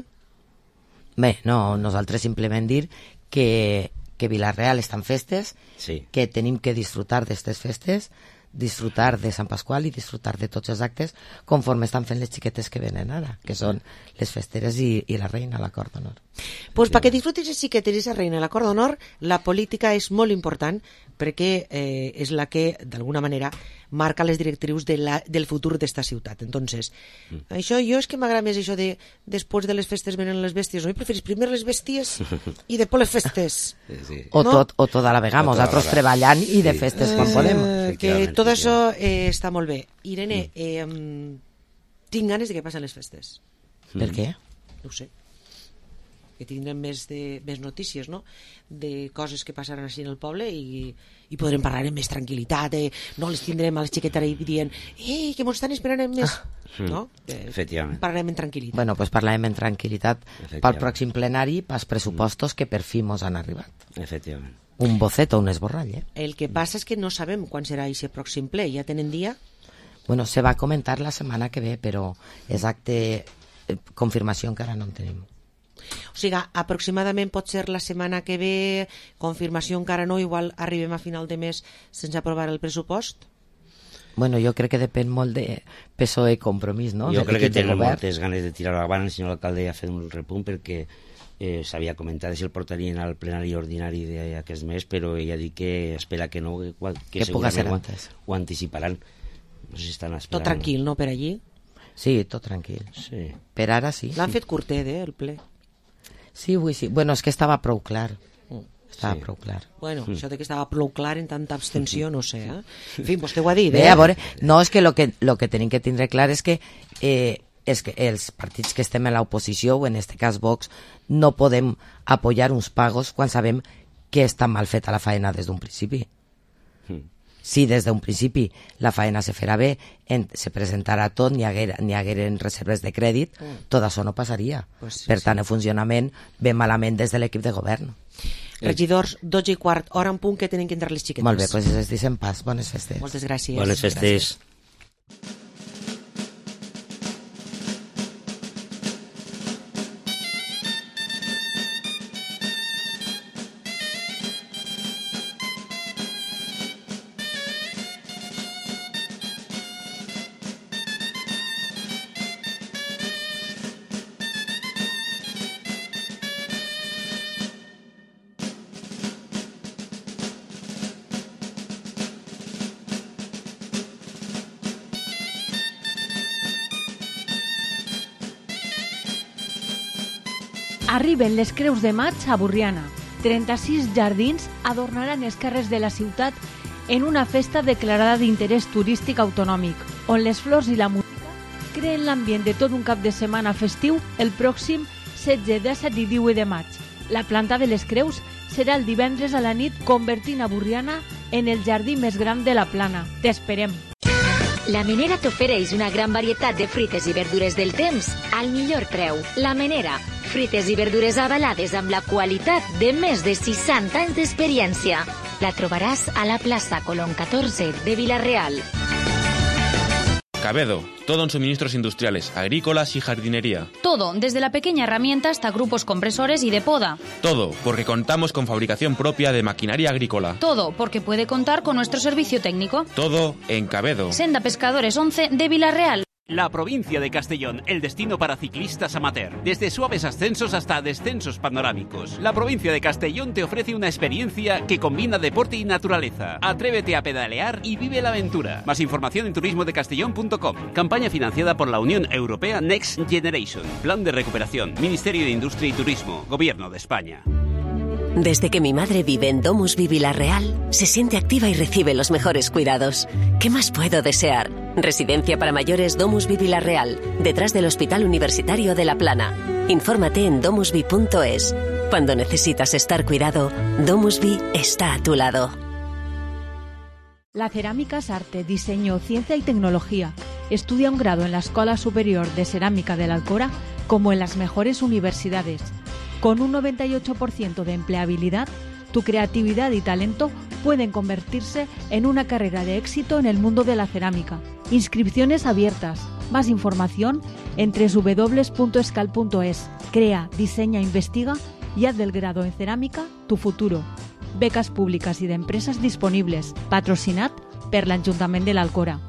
Speaker 12: Bé, no, nosaltres simplement dir que, que Vila-real està en festes,
Speaker 11: sí.
Speaker 12: Que tenim que disfrutar d'aquestes festes, disfrutar de Sant Pasqual i disfrutar de tots els actes conforme estan fent les xiquetes que venen ara, que són les festeres i, i la reina, l'acord d'honor.
Speaker 3: Pues perquè disfrutis les xiquetes i la reina, l'acord d'honor, la política és molt important perquè eh, és la que, d'alguna manera, marca les directrius de la, del futur d'esta ciutat. Entonces, mm. això jo és que m'agrada més això de després de les festes venen les bèsties. No? I preferís primer les bèsties i després les festes.
Speaker 11: Sí, sí.
Speaker 12: O, no? tot, o tota la vegada, nosaltres treballant i de festes sí. quan
Speaker 3: eh,
Speaker 12: podem.
Speaker 3: Que tot això eh, està molt bé. Irene, eh, tinc ganes de que passen les festes.
Speaker 12: Per què?
Speaker 3: No ho sé. que tindrem més, de, més notícies, no?, de coses que passaran així en el poble i, i podrem parlar amb més tranquil·litat, eh? No les tindrem a les xiquetes ahí dient ei, que mos estan esperant amb més... Ah, no? Eh,
Speaker 11: efectivament.
Speaker 3: Parlarem en tranquil·litat.
Speaker 12: Bueno, pues parlarem en tranquil·litat pel pròxim plenari, pels pressupostos que per fi mos han arribat.
Speaker 11: Efectivament.
Speaker 12: Un boceto, un esborrall, eh?
Speaker 3: El que passa és que no sabem quan serà aquest pròxim ple. Ja tenen dia?
Speaker 12: Bueno, se va a comentar la setmana que ve, però exacte eh, confirmació encara no en tenim.
Speaker 3: O sigui, aproximadament pot ser la setmana que ve, confirmació encara no, igual arribem a final de mes sense aprovar el pressupost?
Speaker 12: Bueno, jo crec que depèn molt de P S O E Compromís, no?
Speaker 11: Jo crec que tenen moltes ganes de tirar avant. El senyor alcalde ha fet un repunt perquè eh, s'havia comentat si el portarien al plenari ordinari d'aquest mes, però ell ha dit que espera que no, que, que, que segurament ho, ho anticiparan. No sé si estan esperant.
Speaker 3: Tot tranquil, no, per allí?
Speaker 12: Sí, tot tranquil.
Speaker 11: Sí.
Speaker 12: Per ara sí.
Speaker 3: L'han
Speaker 12: sí.
Speaker 3: fet curtet, eh, el ple.
Speaker 12: Sí, vull sí. Bueno, és que estava prou clar. Estava
Speaker 3: sí.
Speaker 12: prou clar.
Speaker 3: Bueno, mm. això de que estava prou clar en tanta abstenció, no sé, eh? En fi, vostè ho ha dit, eh?
Speaker 12: Bé, a veure, no, és que lo que, lo que tenim que tindre clar és que, eh, és que els partits que estem en l'oposició, o en este cas Vox, no podem apoyar uns pagos quan sabem que està mal feta la faena des d'un principi. Mm. Si des d'un principi la faena se farà bé, en, se presentarà tot, n'hi haguer, n'hi hagueren reserves de crèdit, mm. tot això no passaria.
Speaker 3: Pues sí,
Speaker 12: per tant,
Speaker 3: sí.
Speaker 12: el funcionament ve malament des de l'equip de govern.
Speaker 3: Regidors, dotze i quart, hora en punt que tenen que entrar les xiquetes.
Speaker 12: Molt bé, doncs es deixen pas. Bones festes.
Speaker 3: Moltes gràcies.
Speaker 11: Bones festes. Gràcies.
Speaker 4: Arriben les Creus de Maig a Borriana. trenta-sis jardins adornaran els carrers de la ciutat en una festa declarada d'interès turístic autonòmic, on les flors i la música creen l'ambient de tot un cap de setmana festiu el pròxim setze, disset i divuit de maig. La planta de les Creus serà el divendres a la nit, convertint a Borriana en el jardí més gran de la Plana. T'esperem!
Speaker 2: La Menera t'ofereix una gran varietat de fruites i verdures del temps al millor preu. La Menera, fruites i verdures avalades amb la qualitat de més de seixanta anys d'experiència. La trobaràs a la plaça Colón catorze de Vila-real.
Speaker 13: Cabedo, todo en suministros industriales, agrícolas y jardinería.
Speaker 14: Todo, desde la pequeña herramienta hasta grupos compresores y de poda.
Speaker 13: Todo, porque contamos con fabricación propia de maquinaria agrícola.
Speaker 14: Todo, porque puede contar con nuestro servicio técnico.
Speaker 13: Todo en Cabedo.
Speaker 14: Senda Pescadores once de Vila-real.
Speaker 15: La provincia de Castellón, el destino para ciclistas amateur. Desde suaves ascensos hasta descensos panorámicos. La provincia de Castellón te ofrece una experiencia que combina deporte y naturaleza. Atrévete a pedalear y vive la aventura. Más información en turismo de castellón punto com. Campaña financiada por la Unión Europea Next Generation. Plan de recuperación. Ministerio de Industria y Turismo. Gobierno de España.
Speaker 16: Desde que mi madre vive en DomusVi Vila-real, se siente activa y recibe los mejores cuidados. ¿Qué más puedo desear? Residencia para mayores DomusVi Vila-real, detrás del Hospital Universitario de La Plana. Infórmate en domusvi punto es. Cuando necesitas estar cuidado, DomusVi está a tu lado.
Speaker 4: La cerámica es arte, diseño, ciencia y tecnología. Estudia un grado en la Escuela Superior de Cerámica de la Alcora como en las mejores universidades. Con un noventa y ocho por ciento de empleabilidad, tu creatividad y talento pueden convertirse en una carrera de éxito en el mundo de la cerámica. Inscripciones abiertas. Más información en doble u doble u doble u punto escal punto es. Crea, diseña, investiga y haz del grado en cerámica tu futuro. Becas públicas y de empresas disponibles. Patrocinat per l'Ajuntament de l'Alcora.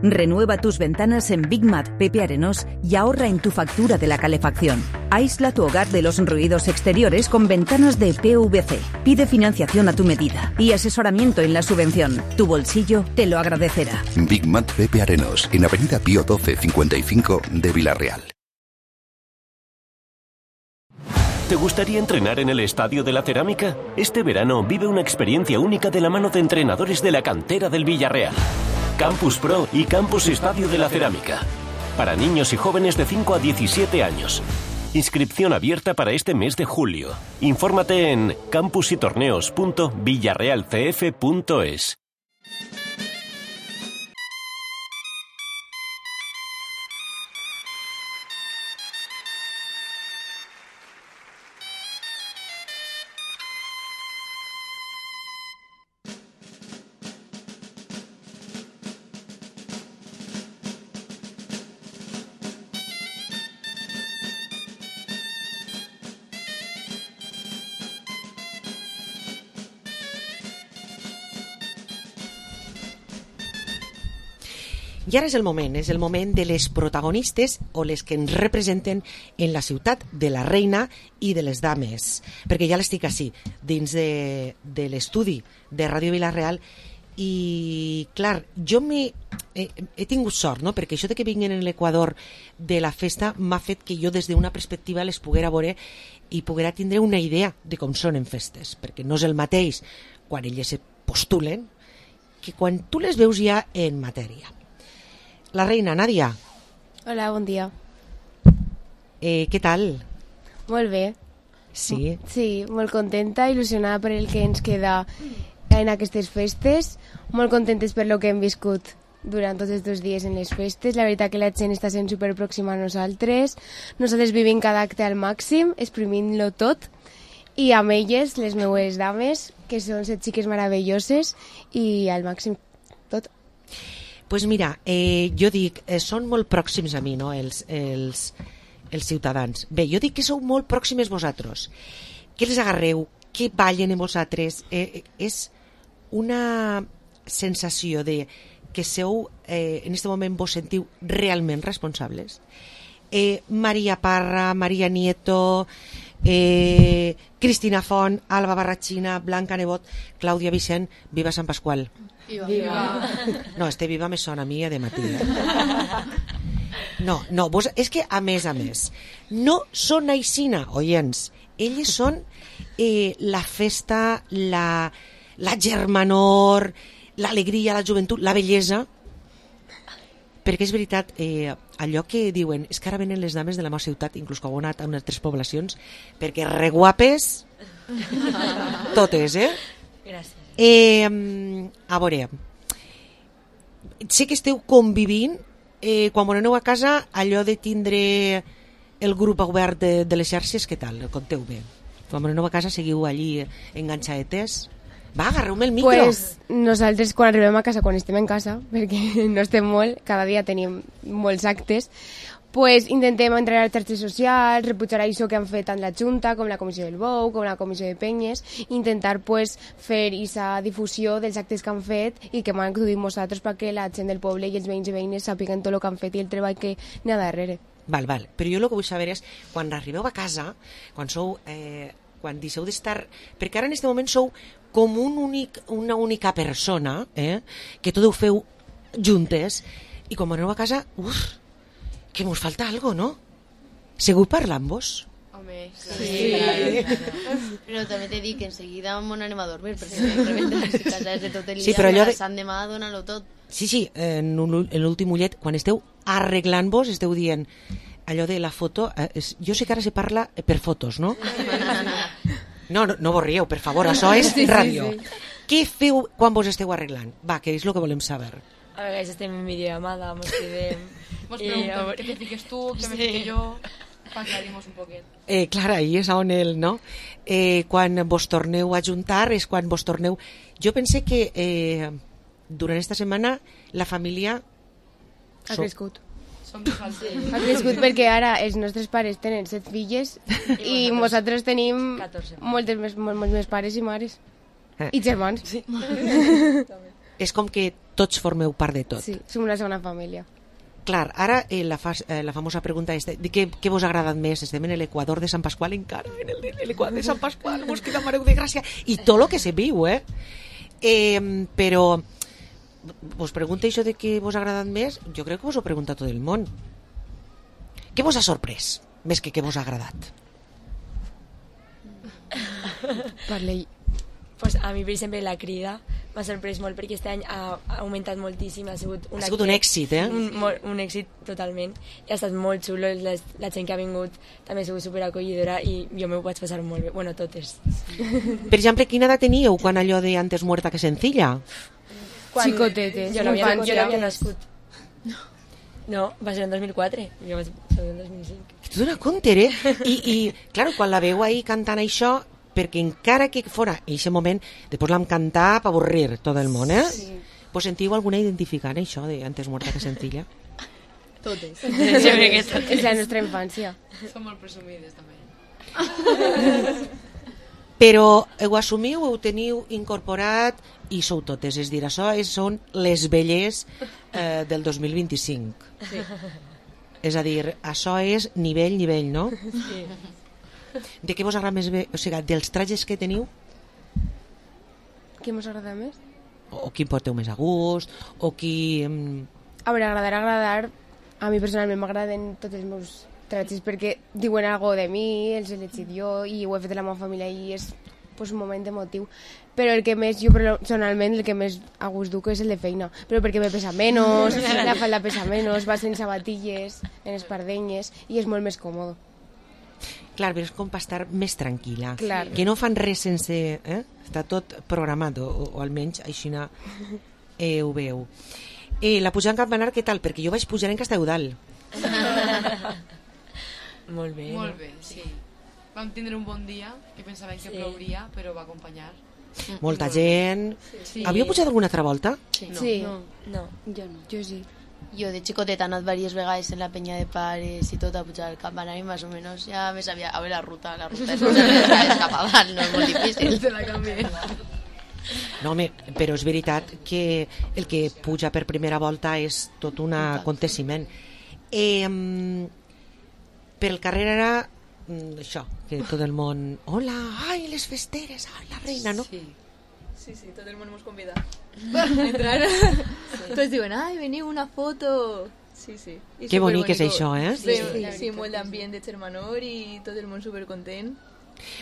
Speaker 17: Renueva tus ventanas en Big Mat Pepe Arenós y ahorra en tu factura de la calefacción. Aísla tu hogar de los ruidos exteriores con ventanas de P V C. Pide financiación a tu medida y asesoramiento en la subvención. Tu bolsillo te lo agradecerá.
Speaker 18: Big Mat Pepe Arenós, en Avenida Pío doce cincuenta y cinco de Vila-real.
Speaker 19: ¿Te gustaría entrenar en el Estadio de la Cerámica? Este verano vive una experiencia única de la mano de entrenadores de la cantera del Villarreal. Campus Pro y Campus Estadio de la Cerámica. Para niños y jóvenes de cinco a diecisiete años. Inscripción abierta para este mes de julio. Infórmate en campusytorneos punto villarrealcf punto es.
Speaker 3: I ara és el moment, és el moment de les protagonistes o les que ens representen en la ciutat de la Reina i de les dames, perquè ja l'estic així, dins de, de l'estudi de Ràdio Vila-real. I clar, jo he, he tingut sort, no? Perquè això de que vinguin en l'Equador de la festa m'ha fet que jo des d'una perspectiva les poguera veure i poguera tindre una idea de com són en festes, perquè no és el mateix quan elles se postulen que quan tu les veus ja en matèria. La Reina, Nàdia.
Speaker 20: Hola, bon dia.
Speaker 3: Eh, què tal?
Speaker 20: Molt bé.
Speaker 3: Sí?
Speaker 20: Sí, molt contenta, il·lusionada per el que ens queda en aquestes festes, molt contentes per lo que hem viscut durant tots aquests dies en les festes. La veritat que la gent està sent superpròxima a nosaltres, nosaltres vivim cada acte al màxim, exprimint-lo tot, i amb elles, les meues dames, que són set xiques meravelloses, i al màxim tot.
Speaker 3: Pues mira, eh, jo dic, eh, són molt pròxims a mi, no?, els, els, els ciutadans. Bé, jo dic que sou molt pròximes vosaltres. Què les agarreu? Què ballen en vosaltres? Eh, és una sensació de que sou, eh, en aquest moment vos sentiu realment responsables. Eh, Maria Parra, Maria Nieto, eh, Cristina Font, Alba Barrachina, Blanca Nebot, Clàudia Vicent, viva Sant Pasqual.
Speaker 20: Viva. Viva.
Speaker 3: No, este viva me sona a mi de matí. Eh? No, no, vos, és que a més a més, no són aixina, oients, elles són eh, la festa, la, la germanor, l'alegria, la joventut, la bellesa, perquè és veritat, eh, allò que diuen, és que ara venen les dames de la meva ciutat, inclús que heu anat a unes altres poblacions, perquè reguapes, totes, eh?
Speaker 20: Gràcies.
Speaker 3: Eh, a veure, sé que esteu convivint, eh, quan aneu a casa, allò de tindre el grup obert de, de les xarxes, què tal? Conteu bé. Quan aneu a casa seguiu allí enganxadetes? Va, agarreu-me el micro.
Speaker 20: Pues nosaltres quan arribem a casa, quan estem en casa, perquè no estem molt, cada dia tenim molts actes, pues intentem entrar a les xarxes socials, repujar això que han fet tant la Junta com la Comissió del Bou, com la Comissió de Penyes, intentar pues, fer aquesta difusió dels actes que han fet i que m'han acudit nosaltres perquè la gent del poble i els veïns i veïnes sàpiguen tot el que han fet i el treball que n'hi ha darrere.
Speaker 3: Val, val. Però jo el que vull saber és, quan arribeu a casa, quan sou, eh, quan deixeu d'estar... Perquè ara en aquest moment sou com un únic, una única persona, eh, que tot ho feu juntes, i quan aneu a casa, uf, que mos falta algo, ¿no? Seguiu parlant-vos?
Speaker 21: Home, sí. sí. Però també t'he dit que enseguida m'on anem a dormir, perquè de repente les cases de tot el dia, sí, però allò de... Sant demà dona-lo tot.
Speaker 3: Sí, sí, en, un, en l'últim ullet, quan esteu arreglant-vos, esteu dient allò de la foto, eh, és, jo sé que ara se parla per fotos, no? No, no, no vos rieu, per favor, això és sí, ràdio. Sí, sí. Què feu quan vos esteu arreglant? Va, que és el que volem saber.
Speaker 22: A vegades estem en videollamada, mos quedem...
Speaker 23: Mos pregunten què te fiques tu, què me fique jo, per aclarir-nos un poquet.
Speaker 3: Eh, clar, ahí és on el, no? Eh, quan vos torneu a juntar, és quan vos torneu... Jo pense que eh, durant esta setmana la família...
Speaker 20: Ha crescut. Sí. Ha crescut perquè ara els nostres pares tenen set filles i nosaltres tenim moltes més, molts més pares i mares. Eh. I germans. Sí.
Speaker 3: És com que tots formeu part de tot.
Speaker 20: Sí, som una segona família.
Speaker 3: Clar, ara eh, la, fa, eh, la famosa pregunta és de què, què vos ha agradat més? Estem en l'Equador de Sant Pasqual encara, en l'Equador de Sant Pasqual, vos queda Mareu de Gràcia, i tot el que se viu, eh? eh? Però vos pregunta això de què vos ha agradat més? Jo crec que vos ho pregunta tot el món. Què vos ha sorprès, més que què vos ha agradat?
Speaker 20: Parlei.
Speaker 22: Pues a mi, per exemple, la crida, m'ha sorprès molt perquè aquest any ha, ha augmentat moltíssim, ha sigut un,
Speaker 3: ha sigut un èxit, eh?
Speaker 22: Un, molt, un èxit totalment, i ha estat molt xulo, la, la gent que ha vingut també ha sigut superacollidora i jo m'ho vaig passar molt bé, bueno, totes.
Speaker 3: Per exemple, quina edat teníeu quan allò de antes muerta que sencilla?
Speaker 22: Quan
Speaker 20: Xicotetes.
Speaker 22: Jo no havia, jo no havia nascut. No, va ser en dos mil quatre, jo vaig ser en dos mil cinc.
Speaker 3: Tu dona compte, eh? I, i clar, quan la veu ahir cantant això, perquè encara que fora en aquest moment, després l'hem cantat per avorrir tot el món, eh? Sí. Pues sentiu alguna identificant això de antes muerta que sencilla?
Speaker 23: Totes.
Speaker 20: Sí, jo crec que totes. És la nostra infància.
Speaker 23: Som molt presumides, també.
Speaker 3: Però ho assumiu, ho teniu incorporat i sou totes, és dir, això és, són les velles eh, del dos mil vint-i-cinc.
Speaker 23: Sí.
Speaker 3: És a dir, això és nivell, nivell, no?
Speaker 23: Sí.
Speaker 3: De què vos agrada més bé? O sigui, dels trajes que teniu?
Speaker 20: Què mos agrada més?
Speaker 3: O qui porteu més a gust? O qui...
Speaker 20: A veure, agradar, agradar... A mi personalment m'agraden tots els meus trajes perquè diuen algo de mi, els he elegit jo i ho he fet de la meva família i és pues, un moment emotiu. Però el que més, jo personalment, el que més a gust duc és el de feina. Però perquè me pesa menys, la falda pesa menys, va sense sabatilles, en espardenyes i és molt més còmode.
Speaker 3: Clar, però és com per estar més tranquil·la.
Speaker 20: Clar.
Speaker 3: Que no fan res sense... Eh? Està tot programat, o, o almenys així eh, ho veu. Eh, la pujada en campanar, què tal? Perquè jo vaig pujar en Castelludal.
Speaker 22: Molt bé.
Speaker 23: Molt bé, sí. Vam tindre un bon dia, que pensàvem que sí. plouria, però va acompanyar.
Speaker 3: Molta gent... Sí. Havíeu pujat alguna altra volta?
Speaker 23: Sí.
Speaker 20: No. Sí.
Speaker 23: No.
Speaker 22: no.
Speaker 20: Jo no. Jo sí.
Speaker 21: Jo de xicoteta he anat diverses vegades en la penya de pares i tot a pujar el campanar i més o menys ja me sabia... A veure, la ruta, la ruta és, és cap a dalt, no és molt difícil.
Speaker 23: Te la canvié.
Speaker 3: No, home, però és veritat que el que puja per primera volta és tot un aconteciment. Eh, per el carrer era això, que tot el món... Hola, ai, les festeres, ai, la reina, no?
Speaker 23: Sí. Sí, sí, tot el món mos convida a entrar. Sí. Tots diuen, ai, veniu una foto. Sí, sí. I
Speaker 3: que bonic és això, eh?
Speaker 23: Sí, sí, sí, molt d'ambient de germanor i tot el món supercontent.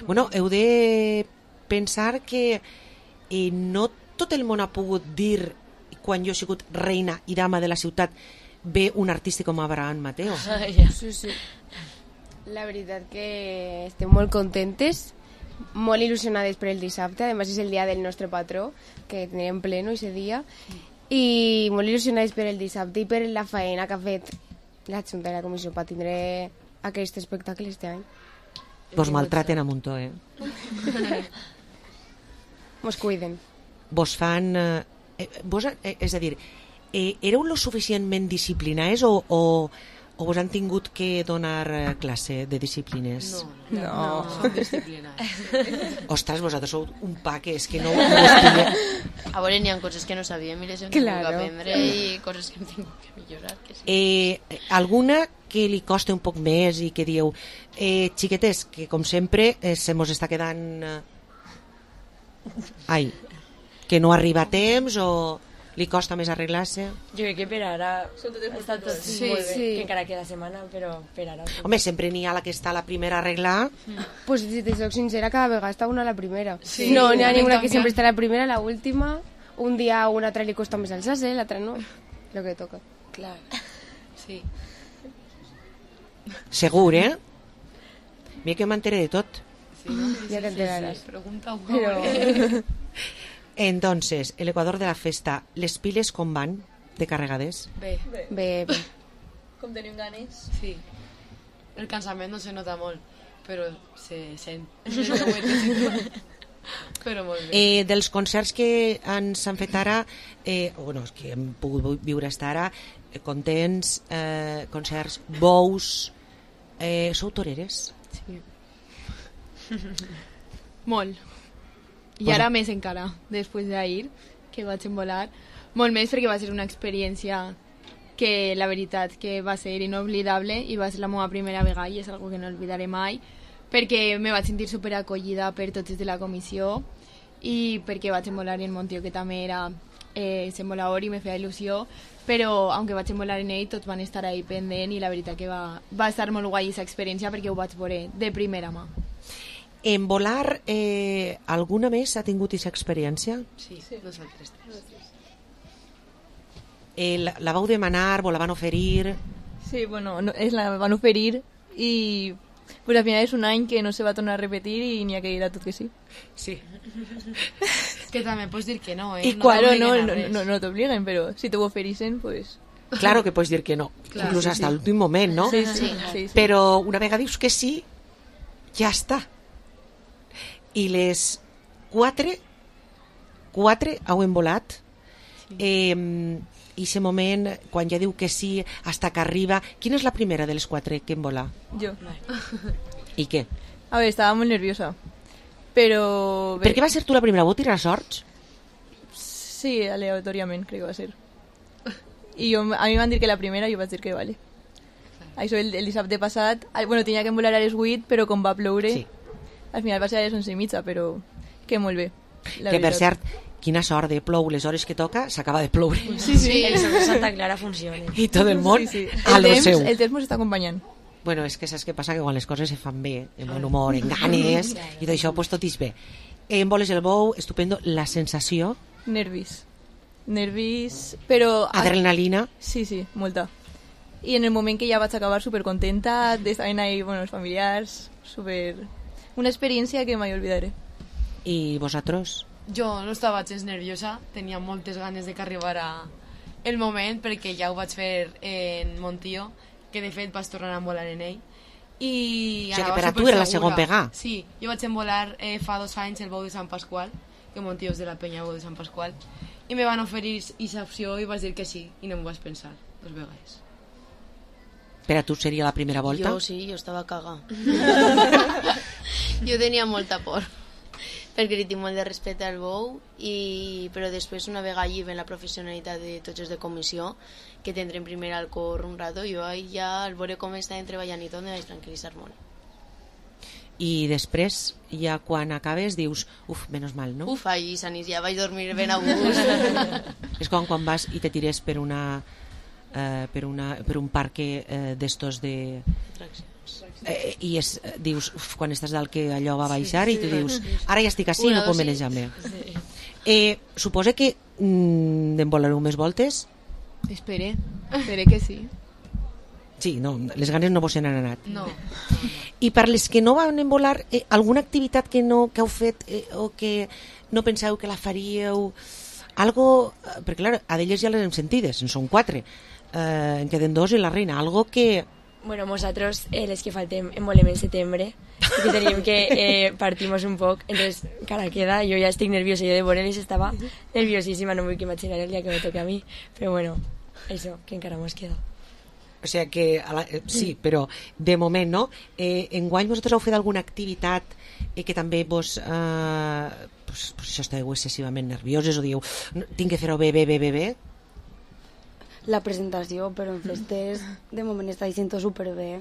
Speaker 3: Bueno, heu de pensar que eh, no tot el món ha pogut dir, quan jo he sigut reina i dama de la ciutat, ve un artista com Abraham Mateo.
Speaker 20: Ah, ja. Sí, sí. La veritat que estem molt contentes, molt il·lusionades per el dissabte, a més és el dia del nostre patró, que tindrem pleno aquest dia, i molt il·lusionades per el dissabte i per la feina que ha fet la Junta i la Comissió per tindre aquest espectacle este any.
Speaker 3: Vos maltraten a muntó, eh?
Speaker 20: Mos cuiden.
Speaker 3: Vos fan... Eh, vos, eh, és a dir, eh, éreu lo suficientment disciplinats o... o o vos han tingut que donar classe de disciplines?
Speaker 23: No, no, no, no som disciplinats.
Speaker 3: Ostres, vosaltres sou un pa que és que no... no
Speaker 21: a veure, n'hi ha coses que no sabíem i les hem tingut que aprendre i coses que hem tingut que millorar. Que sí.
Speaker 3: eh, alguna que li costa un poc més i que dieu, eh, xiquetes, que com sempre eh, se mos està quedant... Eh... Ai, que no arriba a temps o... li costa més arreglar-se?
Speaker 22: Jo crec que per ara està tot sí, molt bé, sí. Que encara queda setmana, però per ara...
Speaker 3: Home, sempre n'hi ha la que està la primera a arreglar.
Speaker 20: Mm. Pues si te soc sincera, cada vegada està una a la primera.
Speaker 23: Sí,
Speaker 20: no, n'hi ha ninguna que sempre està la primera, la última. Un dia a una altra li costa més alçar-se, l'altra no. Lo que toca.
Speaker 23: Clar. Sí.
Speaker 3: Segur, eh? Mira que m'enteré de tot.
Speaker 23: Sí, no?
Speaker 20: Ja t'enteraràs.
Speaker 23: Sí, sí. Pregunta un
Speaker 20: Però...
Speaker 3: Entonces, el Ecuador de la festa, les piles com van de carregades?
Speaker 23: Bé.
Speaker 20: Bé, bé. bé.
Speaker 23: Com tenim ganes? Sí. El cansament no se nota molt, però se sent. Però molt bé.
Speaker 3: Eh, dels concerts que ens han fet ara, eh, bueno, que hem pogut viure fins ara, eh, contents, eh, concerts, bous, eh, sou toreres?
Speaker 23: Sí. Molt. I ara més encara, després d'ahir, que vaig envolar. Molt més perquè va ser una experiència que la veritat que va ser inoblidable i va ser la meva primera vegada i és algo que no oblidaré mai perquè me vaig sentir superacollida per tots de la comissió i perquè vaig envolar en Montió, que també era eh, envolador i me feia il·lusió, però aunque vaig envolar en ell tots van estar ahí pendent i la veritat que va, va estar molt guai aquesta experiència perquè ho vaig veure de primera mà.
Speaker 3: En volar, eh, alguna més ha tingut aquesta experiència?
Speaker 21: Sí, nosaltres tres.
Speaker 3: Eh, la, la vau demanar, vos la van oferir?
Speaker 1: Sí, bueno, no, es la van oferir y pues al final es un any que no se va a tornar a repetir y ni ha que ir a tot que sí.
Speaker 3: Sí.
Speaker 23: Que també pots dir que no, eh?
Speaker 1: Y
Speaker 23: no
Speaker 1: claro, no, no, no, no te obliguen, pero si te oferisen, pues...
Speaker 3: Claro que pots dir que no, claro, inclús sí, hasta sí. l'últim moment, no?
Speaker 1: Sí, sí, sí, sí.
Speaker 3: Però una vegada dius que sí, ja està. I les quatre, quatre heu volat. Sí. Eh, i aquest moment, quan ja diu que sí, hasta que arriba... Quina és la primera de les quatre que en vola?
Speaker 1: Jo.
Speaker 3: I què?
Speaker 1: A ver, estaba muy nerviosa, pero...
Speaker 3: Per què va ser tu la primera? Vau tirar sorts?
Speaker 1: Sí, aleatoriament, crec que va ser. I jo, a mi van dir que la primera i jo vaig dir que vale. Això el, el dissabte passat, bueno, tenia que volar a les vuit, però com va ploure, sí. Al final va ser a les onze i mitja, però que molt bé.
Speaker 3: Que veritat. Per cert, quina sort de plou les hores que toca, s'acaba de ploure.
Speaker 22: Sí, sí, el Sol de Santa Clara funciona.
Speaker 3: I tot el món
Speaker 1: sí, sí.
Speaker 3: a
Speaker 1: el
Speaker 3: lo
Speaker 1: temps,
Speaker 3: seu.
Speaker 1: El temps ens està acompanyant.
Speaker 3: Bueno, és que saps què passa? Que quan les coses se fan bé, en bon humor, en ganes, i d'això pues, tot és bé. En voles el bou, estupendo, la sensació...
Speaker 1: Nervis. Nervis, però...
Speaker 3: Adrenalina.
Speaker 1: Sí, sí, molta. I en el moment que ja vaig acabar supercontenta, estaven ahí, bueno, els familiars, super... Una experiència que mai olvidaré.
Speaker 3: I vosaltres?
Speaker 23: Jo no estava gens nerviosa, tenia moltes ganes de que arribara el moment, perquè ja ho vaig fer en Montió, que de fet vaig tornar a volar en ell. I
Speaker 3: o sigui que per a tu era la segon pegar.
Speaker 23: Sí, jo vaig volar eh, fa dos anys el bou de Sant Pasqual, que Montió és de la penya bou de Sant Pasqual, i me van oferir aquesta opció i vaig dir que sí, i no m'ho vaig pensar dos vegades.
Speaker 3: Per a tu seria la primera volta?
Speaker 21: Jo sí, jo estava cagada. Jo tenia molta por, perquè li tinc molt de respecte al bou, i... però després una vegada allí ven la professionalitat de tots els de comissió, que tindrem primer al cor un rato, jo ja al veure com estàvem treballant i tot me vaig tranquil·litzar molt.
Speaker 3: I després, ja quan acabes, dius, uf, menys mal, no?
Speaker 21: Uf, ahí, Sanís, ja vaig dormir ben a gust.
Speaker 3: És com quan vas i te tires per una... Uh, per, una, per un parque uh, d'estos de... Eh, i es, dius, uf, quan estàs dalt que allò va baixar sí, sí. I tu dius, ara ja estic així i no puc manejar-me. Sí. Eh, suposa que mm, en volareu més voltes?
Speaker 23: Espere, espere que sí.
Speaker 3: Sí, no, les ganes no vos se n'han anat.
Speaker 23: No.
Speaker 3: I per les que no van en volar, eh, alguna activitat que no que heu fet eh, o que no penseu que la faríeu? Algo, perquè clar, a d'elles ja les hem sentides, en són quatre. Eh, en queden dos i la reina. Algo que...
Speaker 22: Bueno, nosotros, eh, les que faltem, en volem en setembre, que tenim que eh, partimos un poc, entonces, cara queda, jo ja estic nerviosa, jo de Borelis estava nerviosíssima, no vull que imaginar el dia que me toque a mi, però bueno, eso, que encara mos queda.
Speaker 3: O sea que, a la, eh, sí, però de moment, no? Eh, enguany vosaltres heu fet alguna activitat eh, que també vos... Eh, pues, pues això esteu excessivament nervioses o dieu, tinc que fer-ho bé, bé, bé, bé, bé?
Speaker 22: La presentació, però en festes de moment està dient superbé.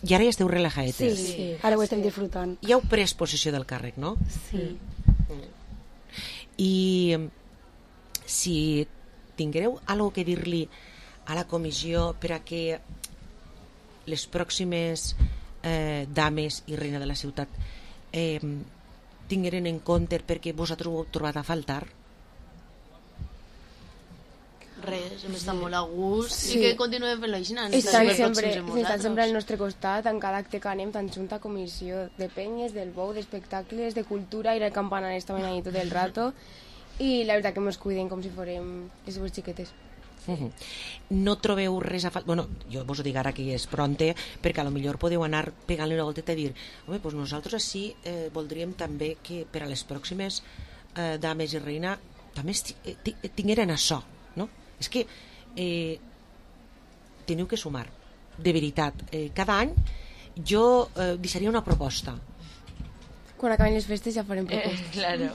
Speaker 3: I ara ja esteu relajaetes.
Speaker 22: Sí, sí, ara ho estem disfrutant.
Speaker 3: Ja heu pres possessió del càrrec, no?
Speaker 22: Sí.
Speaker 3: Mm. I si tinguereu alguna que dir-li a la comissió per a que les pròximes eh, dames i reina de la ciutat eh, tingueren en compte perquè vosaltres ho heu trobat a faltar?
Speaker 21: Res, hem estat molt a gust sí. I que continuem fent-lo així.
Speaker 20: Estan sempre, estan sempre al nostre costat en cada acte que anem, tant junta comissió de penyes, del bou, d'espectacles, de cultura, i el campanar estaven ahí tot el rato i la veritat que ens cuiden com si fórem les seves xiquetes.
Speaker 3: Uh-huh. No trobeu res a faltar? Bueno, jo vos ho dic ara que és pronte, perquè a lo millor podeu anar pegant-li una volteta i dir, home, doncs nosaltres així eh, voldríem també que per a les pròximes eh, dames i reina també tingueren això, no? És que eh, teniu que sumar, de veritat. Eh, cada any jo eh, deixaria una proposta.
Speaker 20: Quan acaben les festes ja farem propostes.
Speaker 22: Eh, claro.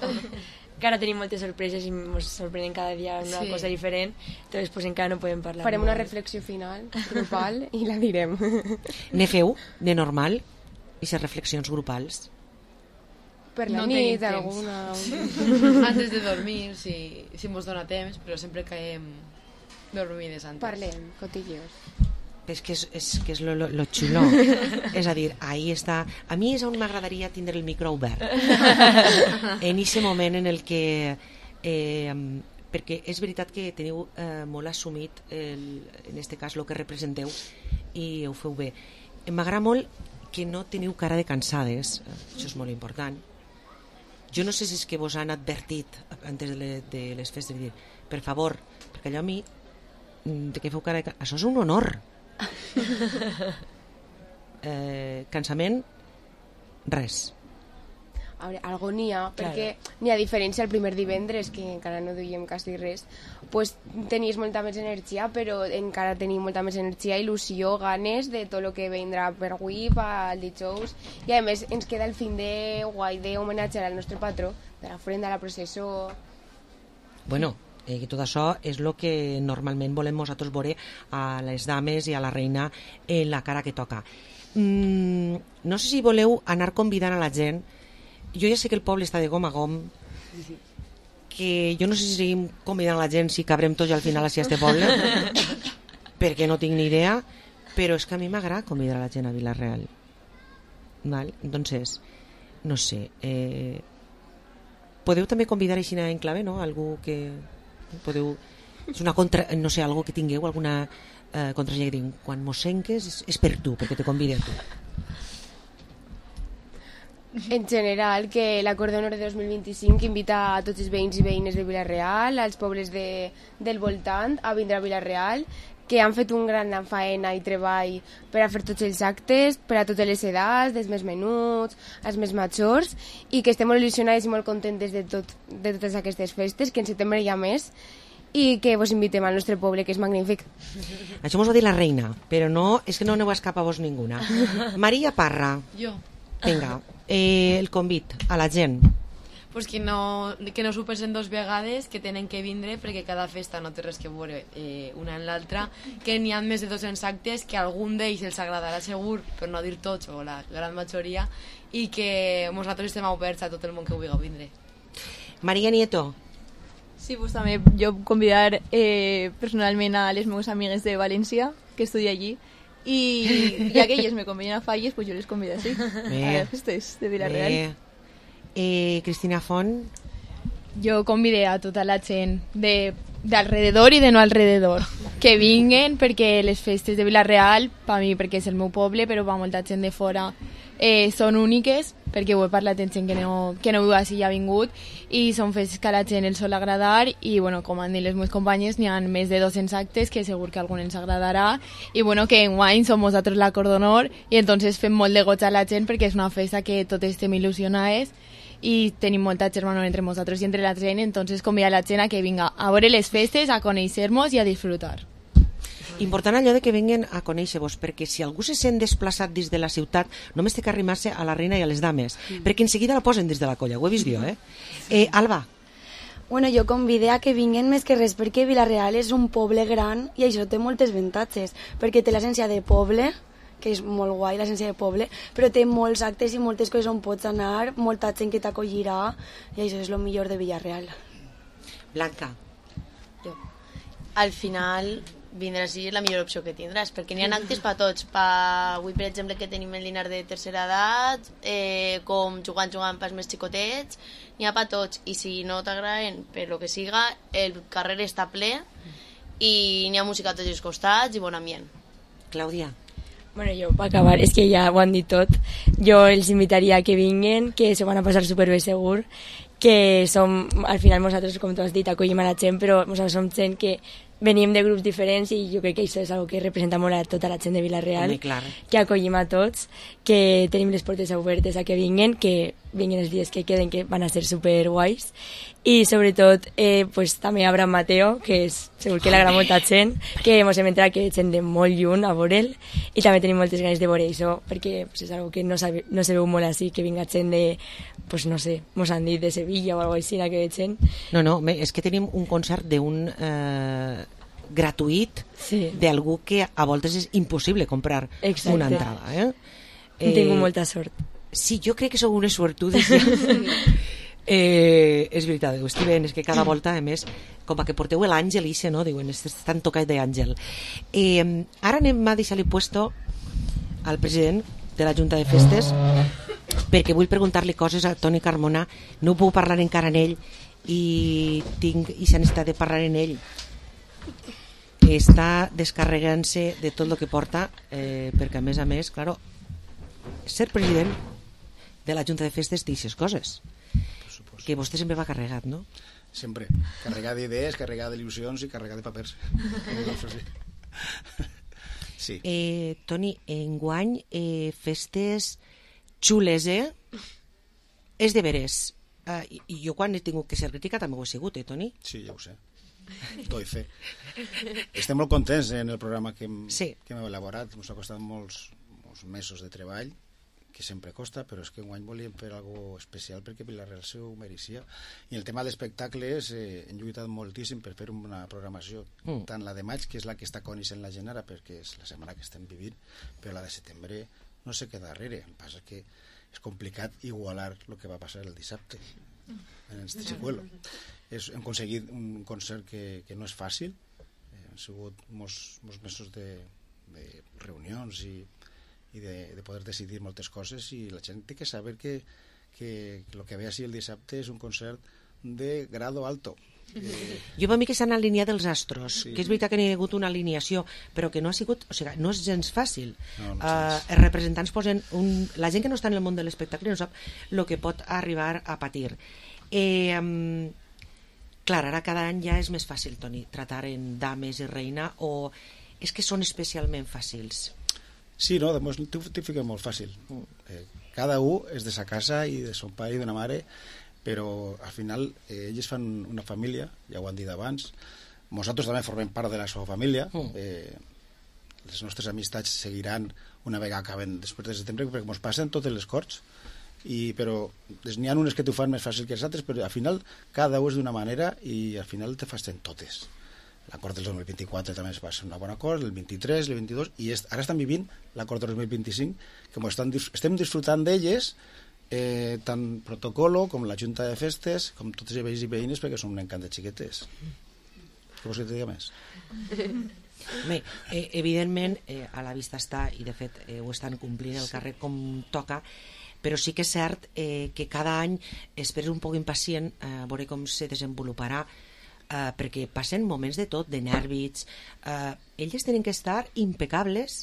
Speaker 22: Que ara tenim moltes sorpreses i ens sorprenen cada dia una sí. cosa diferent, entonces pues encara no podem parlar.
Speaker 20: Farem molt. Una reflexió final grupal i la direm.
Speaker 3: Ne feu, de normal, aquestes reflexions grupals?
Speaker 20: Per la no nit, alguna...
Speaker 23: Antes de dormir, si, si mos dona temps, però sempre caiem dormides antes.
Speaker 20: Parlem, cotilleos.
Speaker 3: És que és, és, que és lo, lo, lo xulo. És a dir, ahí està. A mi és on m'agradaria tindre el micro obert. En aquest moment en el que... Eh, perquè és veritat que teniu eh, molt assumit, el, en aquest cas, el que representeu i ho feu bé. M'agrada molt que no teniu cara de cansades. Això és molt important. Jo no sé si és que vos han advertit antes de, le, de les festes de dir, per favor, perquè allò a mi de que feu cara de... Això és un honor. eh, cansament res.
Speaker 20: A veure, algo n'hi ha, perquè n'hi ha diferència el primer divendres, que encara no duiem quasi res, pues tenies molta més energia, però encara tenim molta més energia, il·lusió, ganes de tot el que vendrà per avui, pel dijous, i a més ens queda el fin de guai d'homenatjar al nostre patró, de la ofrenda, la processó...
Speaker 3: Bueno, eh, tot això és el que normalment volem nosaltres veure a les dames i a la reina en la cara que toca. Mm, no sé si voleu anar convidant a la gent. Jo ja sé que el poble està de gom a gom, que jo no sé si seguim convidant a la gent si cabrem tots al final a este poble, perquè no tinc ni idea, però és que a mi m'agrada convidar a la gent a Vila-real. Val? Entonces, no sé, eh, podeu també convidar així en clave, no? Algú que podeu... És una contra... no sé, algú que tingueu, alguna eh, contrasenya que tingueu. Quan mos senques és, és per tu, perquè te convide a tu.
Speaker 20: En general, que l'Acord d'Honor de dos mil vint-i-cinc invita a tots els veïns i veïnes de Vila-real, als pobles de, del voltant, a vindre a Vila-real, que han fet un gran faena i treball per a fer tots els actes, per a totes les edats, dels més menuts, als més majors, i que estem molt il·lusionades i molt contentes de, tot, de totes aquestes festes, que en setembre hi ha més, i que vos invitem al nostre poble, que és magnífic.
Speaker 3: Això mos ho ha dit la reina, però no, és que no aneu a escapar vos ninguna. Maria Parra.
Speaker 5: Jo.
Speaker 3: Vinga, eh, el convit a la gent.
Speaker 5: Pues que no, que no s'ho pensen dos vegades, que tenen que vindre, perquè cada festa no té res que veure eh, una en l'altra, que n'hi ha més de dos-cents actes, que algun d'ells els agradarà segur, per no dir tots, o la gran majoria, i que nosaltres estem oberts a tot el món que vulgui vindre.
Speaker 3: Maria Nieto.
Speaker 1: Sí, pues també jo convidar eh, personalment a les meves amigues de València, que estudia allí, i ja que elles me conviden a falles, pues jo les convido així, a les festes de Vila-real.
Speaker 3: Eh, Cristina Font.
Speaker 23: Jo convidé a tota la gent de d'alrededor i de no alrededor que vinguen, perquè les festes de Vila-real, per mi perquè és el meu poble, però per molta gent de fora eh, són úniques, perquè ho he parlat amb gent que no, que no viu així i ha vingut, i són festes que a la gent els sol agradar, i bueno, com han dit les meves companyes, n'hi ha més de dos-cents actes que segur que a algun ens agradarà, i bueno, que enguany som nosaltres l'Acord d'Honor, i entonces fem molt de goig a la gent, perquè és una festa que totes estem il·lusionades, i tenim molta germanor entre nosaltres i entre la gent, entonces convida a la gent a que vinga a veure les festes, a conèixer-nos i a disfrutar.
Speaker 3: Important allò de que venguen a conèixer-vos, perquè si algú se sent desplaçat des de la ciutat, només té que arrimar-se a la reina i a les dames, mm. perquè en seguida la posen des de la colla, ho he vist jo, eh? eh Alba.
Speaker 22: Bueno, jo convidé a que vinguen més que res perquè Vila-real és un poble gran i això té moltes avantatges, perquè té l'essència de poble, que és molt guai, l'essència de poble, però té molts actes i moltes coses on pots anar, molta gent que t'acollirà, i això és el millor de Vila-real.
Speaker 3: Blanca.
Speaker 21: Jo. Al final, vindre així és la millor opció que tindràs, perquè n'hi ha actes per tots. Pa, avui, per exemple, que tenim el dinar de tercera edat, eh, com jugant, jugant pels més xicotets, n'hi ha per tots, i si no t'agraden per lo que siga, el carrer està ple, i n'hi ha música a tots els costats i bon ambient.
Speaker 3: Clàudia.
Speaker 22: Bueno, jo, per acabar, és que ja ho han dit tot. Jo els invitaria a que vinguen, que s'ho van a passar superbé segur, que som, al final nosaltres, com tu has dit, acollim a la gent, però nosaltres som gent que venim de grups diferents i jo crec que això és una que representa molt a tota la gent de Vila-real, que acollim a tots, que tenim les portes obertes a que vinguen, que vinguin els dies que queden, que van a ser super guais, i sobretot eh, pues, també Abraham Mateo, que és, segur que l'agrada molta gent, que ens hem entrat que gent de molt lluny a veure'l, i també tenim moltes ganes de veure això, perquè pues, és una que no, sabe, no se veu molt així, que vinga gent de, pues, no sé, mos han dit de Sevilla o alguna cosa així, que gent.
Speaker 3: No, no, és que tenim un concert d'un eh, gratuït
Speaker 22: sí.
Speaker 3: d'algú que a voltes és impossible comprar Exacte. Una entrada. Eh?
Speaker 22: Eh, Tinc molta sort.
Speaker 3: Sí, jo crec que sou unes sortudes. Ja. Eh, és veritat, ho estic veient, és que cada volta, a més, com que porteu l'àngel, ixe, no? Diuen, estan tocat d'àngel. Eh, ara anem a deixar-li puesto al president de la Junta de Festes, perquè vull preguntar-li coses a Toni Carmona. No puc parlar encara en ell i tinc aquesta necessitat de parlar en ell. Està descarregant-se de tot el que porta, eh, perquè a més a més, claro, ser president de la Junta de Festes té aquestes coses. Que vostè sempre va carregat, no?
Speaker 6: Sempre. Carregat d'idees, carregat d'il·lusions i carregat de papers. Sí.
Speaker 3: Eh, Toni, enguany, eh, festes xules, eh? És de veres. Uh, i, I jo quan he tingut que ser crítica també ho he sigut, eh, Toni?
Speaker 6: Sí, ja ho sé. Doy fe. Estem molt contents en el programa que hem,
Speaker 3: sí.
Speaker 6: que hem elaborat. Ens ha costat molts, molts mesos de treball, que sempre costa, però és que enguany volíem fer alguna especial perquè Vilareal se ho mereixia. I el tema d'espectacles eh, hem lluitat moltíssim per fer una programació, mm. tant la de maig, que és la que està coneixent la gent ara, perquè és la setmana que estem vivint, però la de setembre no se queda darrere. El que passa que és complicat igualar el que va passar el dissabte en este secuelo. És, hem aconseguit un concert que, que no és fàcil, eh, han sigut molts, molts mesos de, de reunions i i de, de poder decidir moltes coses, i la gent té que saber que, que, que el que ve així el dissabte és un concert de grado alto. Eh...
Speaker 3: Jo per mi que s'han alineat els astros,
Speaker 6: Sí.
Speaker 3: que és veritat que n'hi ha hagut una alineació, però que no ha sigut, o sigui, no és gens fàcil.
Speaker 6: No, no
Speaker 3: uh, els representants posen un... La gent que no està en el món de l'espectacle no sap el que pot arribar a patir. Eh, um, clar, ara cada any ja és més fàcil, Toni, tratar en dames i reina, o és que són especialment fàcils?
Speaker 6: Sí, no, t'ho fica molt fàcil. Eh, cada un és de sa casa i de son pare i d'una mare, però al final eh, ells fan una família, ja ho han dit abans. Nosaltres també formem part de la seva família. Eh, les nostres amistats seguiran una vegada acaben després de setembre, perquè ens passen totes les corts. I, però n'hi ha unes que t'ho fan més fàcil que les altres, però al final cada un és d'una manera i al final te fasten totes. L'acord del dos mil vint-i-quatre també va ser un bon acord, el vint-i-tres, el vint-i-dos, i est, ara estan vivint l'acord del dos mil vint-i-cinc, que estan, estem disfrutant d'elles, eh, tant protocolo com la Junta de Festes, com tots els veïns i veïnes, perquè són un encant de xiquetes. Què vols que te diga més?
Speaker 3: Bé, eh, evidentment, eh, a la vista està, i de fet eh, ho estan complint el carrer com toca, però sí que és cert eh, que cada any esperes un poc impacient eh, a veure com se desenvoluparà, Uh, perquè passen moments de tot, de nervis, uh, elles tenen que estar impecables,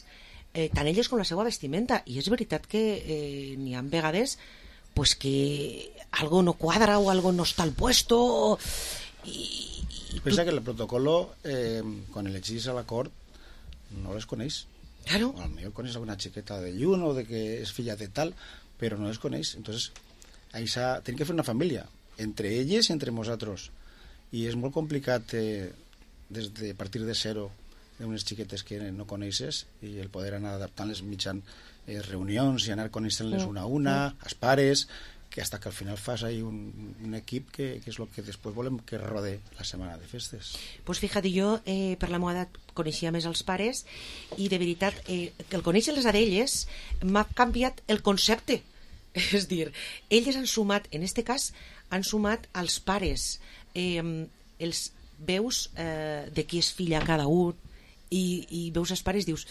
Speaker 3: eh, tant elles com la seva vestimenta, i és veritat que eh, n'hi ha vegades pues, que algo no quadra o algo no està al puesto i, i
Speaker 6: pensa tu... que el protocolo eh, quan elegís a la cort no les coneix,
Speaker 3: claro.
Speaker 6: O potser coneix alguna xiqueta de llun o de que és filla de tal, però no les coneix. Entonces ahí tenim que fer una família entre elles i entre nosaltres, i és molt complicat eh, des de partir de zero d'unes xiquetes que no coneixes i el poder anar adaptant-les mitjan eh, reunions i anar coneixent-les una a una, als pares, que hasta que al final fas ahí un, un equip que, que és el que després volem que rode la setmana de festes.
Speaker 3: Pues fíjate, jo eh, per la meva edat coneixia més els pares i de veritat eh, que el conèixer-les a elles m'ha canviat el concepte. És dir, elles han sumat, en este cas, han sumat als pares, eh, els veus eh, de qui és filla cada un i, i veus els pares i dius,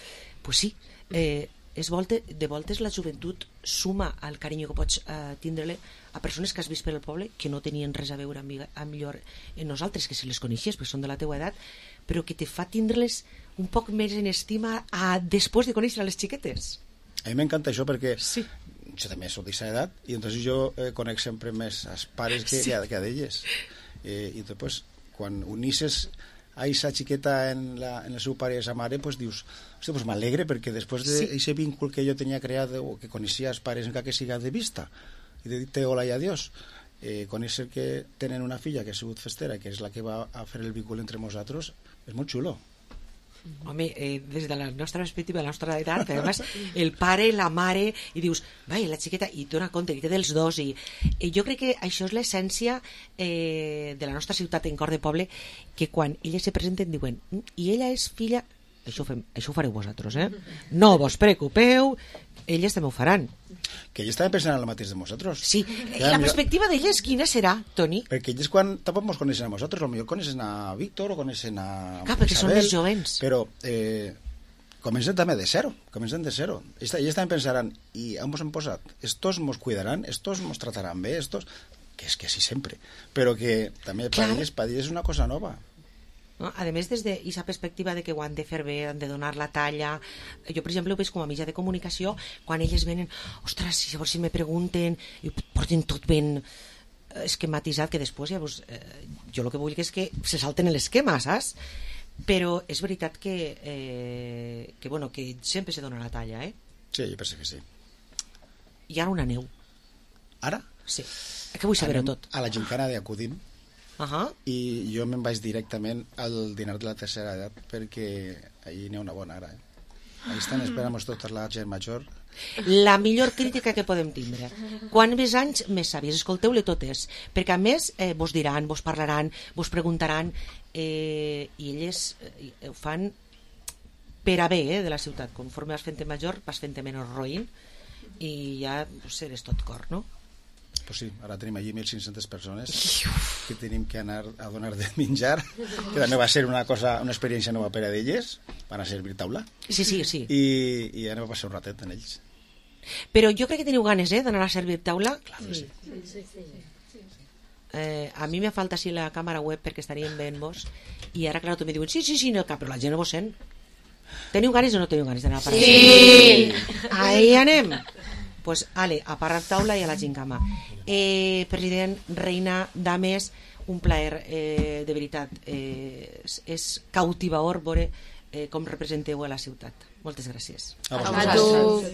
Speaker 3: pues sí, eh, és volte, de voltes la joventut suma al carinyo que pots eh, tindre-li a persones que has vist per el poble que no tenien res a veure amb, amb millor en nosaltres, que si les coneixies perquè són de la teua edat, però que te fa tindre-les un poc més en estima a, després de conèixer les xiquetes.
Speaker 6: A mi m'encanta això perquè
Speaker 3: sí.
Speaker 6: Jo també soc d'aquesta edat i entonces jo eh, conec sempre més als pares que, sí. que, que a d'elles. Eh, i després, quan unisses a aquesta xiqueta en, la, en el seu pare i la mare, pues dius, hòstia, pues m'alegre perquè després d'aquest sí. vínculo que jo tenia creat o que coneixia els pares encara que siga de vista i de dir hola i adiós, eh, conèixer que tenen una filla que ha sigut festera, que és la que va a fer el vínculo entre nosaltres, és molt xulo.
Speaker 3: Home, eh, des de la nostra perspectiva, la nostra edat, però además el pare, la mare, i dius, vai, la xiqueta, i dona compte que té dels dos, i eh, jo crec que això és l'essència eh, de la nostra ciutat en cor de poble, que quan elles se presenten diuen, i ella és filla, això, fem, això ho fareu vosaltres, eh? No vos preocupeu, elles també ho faran.
Speaker 6: Que elles també pensen en el mateix de nosaltres.
Speaker 3: Sí, ja, la perspectiva d'elles quina serà, Toni?
Speaker 6: Perquè elles quan tampoc ens coneixen a nosaltres, potser coneixen a Víctor o coneixen a
Speaker 3: Clar, perquè
Speaker 6: Isabel,
Speaker 3: són més jovens.
Speaker 6: Però eh, comencen també de zero, comencen de zero. Elles també pensaran, i on ens hem posat? Estos nos cuidaran, estos nos trataran bé, estos... Que és que sí, sempre. Però que també per elles, per elles és una cosa nova.
Speaker 3: No? A més, des d'aquesta perspectiva de que ho han de fer bé, han de donar la talla, jo per exemple ho veig com a mitjà de comunicació, quan elles venen, ostres, si llavors si me pregunten i porten tot ben esquematitzat, que després llavors, eh, jo el que vull és que se salten l'esquema, saps? Però és veritat que eh, que, bueno, que sempre se dona la talla, eh?
Speaker 6: Sí, jo penso que sí.
Speaker 3: I ara una neu.
Speaker 6: Ara?
Speaker 3: Sí. Que vull saber-ho tot.
Speaker 6: A la gincana d'Acudim,
Speaker 3: uh -huh.
Speaker 6: i jo me'n vaig directament al dinar de la tercera edat perquè ahir n'hi ha una bona ara. Eh? Ahí estan esperant tota la gent major.
Speaker 3: La millor crítica que podem tindre. Quan més anys, més sàvies. Escolteu-le totes. Perquè a més eh, vos diran, vos parlaran, vos preguntaran, eh, i elles eh, ho fan per a bé eh, de la ciutat. Conforme vas fent major, vas fent menys roïn i ja pues, eres tot cor, no?
Speaker 6: Pues sí, ara tenim allí mil cinc-centes persones que tenim que anar a donar de menjar, que també va ser una cosa, una experiència nova per a d'elles, van a servir taula.
Speaker 3: Sí, sí, sí.
Speaker 6: I, i anem a passar un ratet en ells.
Speaker 3: Però jo crec que teniu ganes, eh, d'anar a servir taula.
Speaker 6: Clar que sí.
Speaker 22: Sí, sí, sí.
Speaker 3: Eh, a mi me falta així la càmera web perquè estaríem veient vos, i ara, clar, tu me diuen, sí, sí, sí, no, però la gent no vos sent. Teniu ganes o no teniu ganes d'anar a parar?
Speaker 22: Sí!
Speaker 3: Ahí anem. Pues, ale, a parar taula i a la gincama. Eh, president, reina, dames, un plaer, eh, de veritat. Eh, és, és cautivador veure eh, com representeu a la ciutat. Moltes gràcies.
Speaker 6: A
Speaker 23: A tu.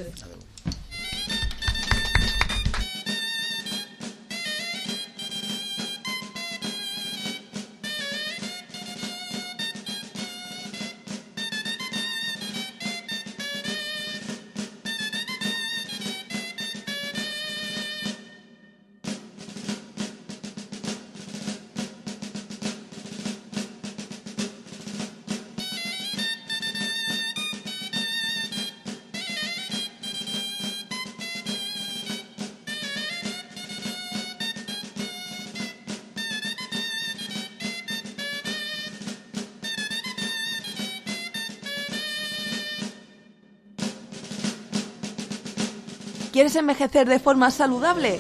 Speaker 7: ¿Quieres envejecer de forma saludable?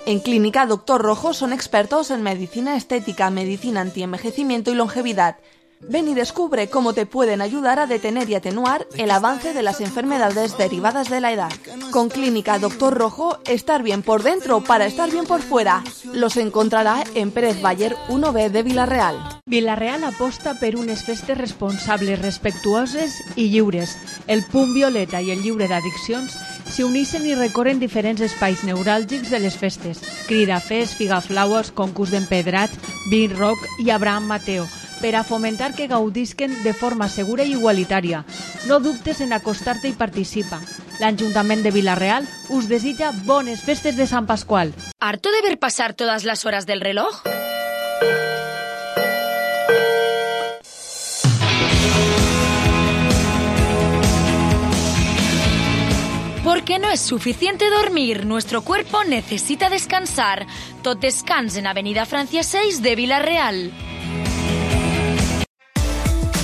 Speaker 7: En Clínica Doctor Rojo son expertos en medicina estética, medicina antienvejecimiento y longevidad. Ven y descubre cómo te pueden ayudar a detener y atenuar el avance de las enfermedades derivadas de la edad. Con Clínica Doctor Rojo, estar bien por dentro para estar bien por fuera. Los encontrarà en Pérez Baller uno B de Vila-real.
Speaker 4: Vila-real aposta per unes festes responsables, respectuoses i lliures. El Punt Violeta i el lliure d'addiccions s'hi uneixen i recorren diferents espais neuràlgics de les festes. Cridafés, Figaflaues, concurs d'empedrat, Vin Rock i Abraham Mateo, per a fomentar que gaudisquen de forma segura i igualitària. No dubtes en acostar-te i participa. L'Ajuntament de Vila-real us desitja bones festes de Sant Pasqual.
Speaker 14: ¿Harto de ver pasar todas las horas del reloj? Porque no es suficiente dormir, nuestro cuerpo necesita descansar. Tot descans en Avenida Francia seis de Vila-real.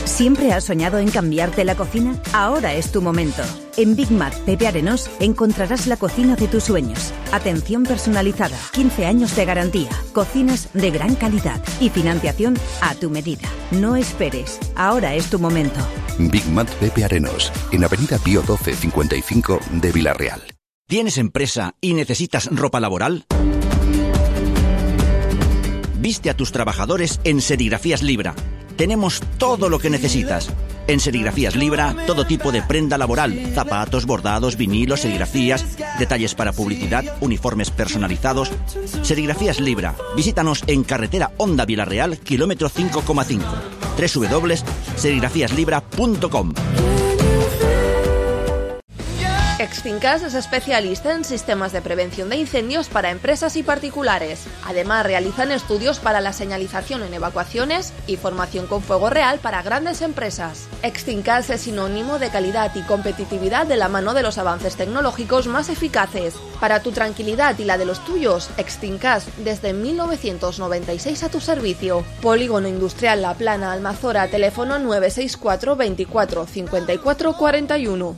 Speaker 17: ¿Siempre has soñado en cambiarte la cocina? Ahora es tu momento. En Big Mac Pepe Arenós encontrarás la cocina de tus sueños. Atención personalizada, quince años de garantía, cocinas de gran calidad y financiación a tu medida. No esperes, ahora es tu momento.
Speaker 18: Big Mac Pepe Arenós, en Avenida Pío doce cincuenta y cinco de Vila-real.
Speaker 8: ¿Tienes empresa y necesitas ropa laboral? Viste a tus trabajadores en Serigrafías Libra. Tenemos todo lo que necesitas. En Serigrafías Libra, todo tipo de prenda laboral, zapatos, bordados, vinilos, serigrafías, detalles para publicidad, uniformes personalizados. Serigrafías Libra. Visítanos en carretera Honda Vila-real, kilómetro cinco coma cinco. doble u doble u doble u punto serigrafías libra punto com.
Speaker 7: Extincas es especialista en sistemas de prevención de incendios para empresas y particulares. Además, realizan estudios para la señalización en evacuaciones y formación con fuego real para grandes empresas. Extincas es sinónimo de calidad y competitividad de la mano de los avances tecnológicos más eficaces. Para tu tranquilidad y la de los tuyos, Extincas desde mil novecientos noventa y seis a tu servicio. Polígono Industrial La Plana, Almazora, teléfono nueve seis cuatro veinticuatro cincuenta y cuatro cuarenta y uno.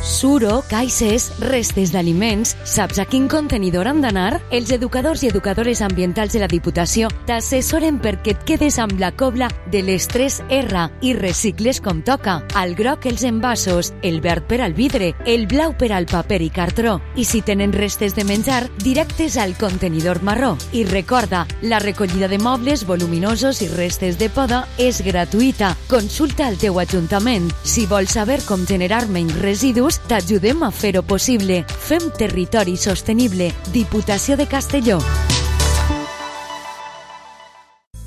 Speaker 9: Suro, caixes, restes d'aliments, saps a quin contenidor han d'anar? Els educadors i educadores ambientals de la Diputació t'assessoren perquè et quedes amb la cobla de les tres R i recicles com toca. Al groc els envasos, el verd per al vidre, el blau per al paper i cartró. I si tenen restes de menjar, directes al contenidor marró. I recorda, la recollida de mobles voluminosos i restes de poda és gratuïta. Consulta al teu ajuntament. Si vols saber com generar menys residus, t'ajudem a fer-ho possible. Fem territori sostenible. Diputació de Castelló.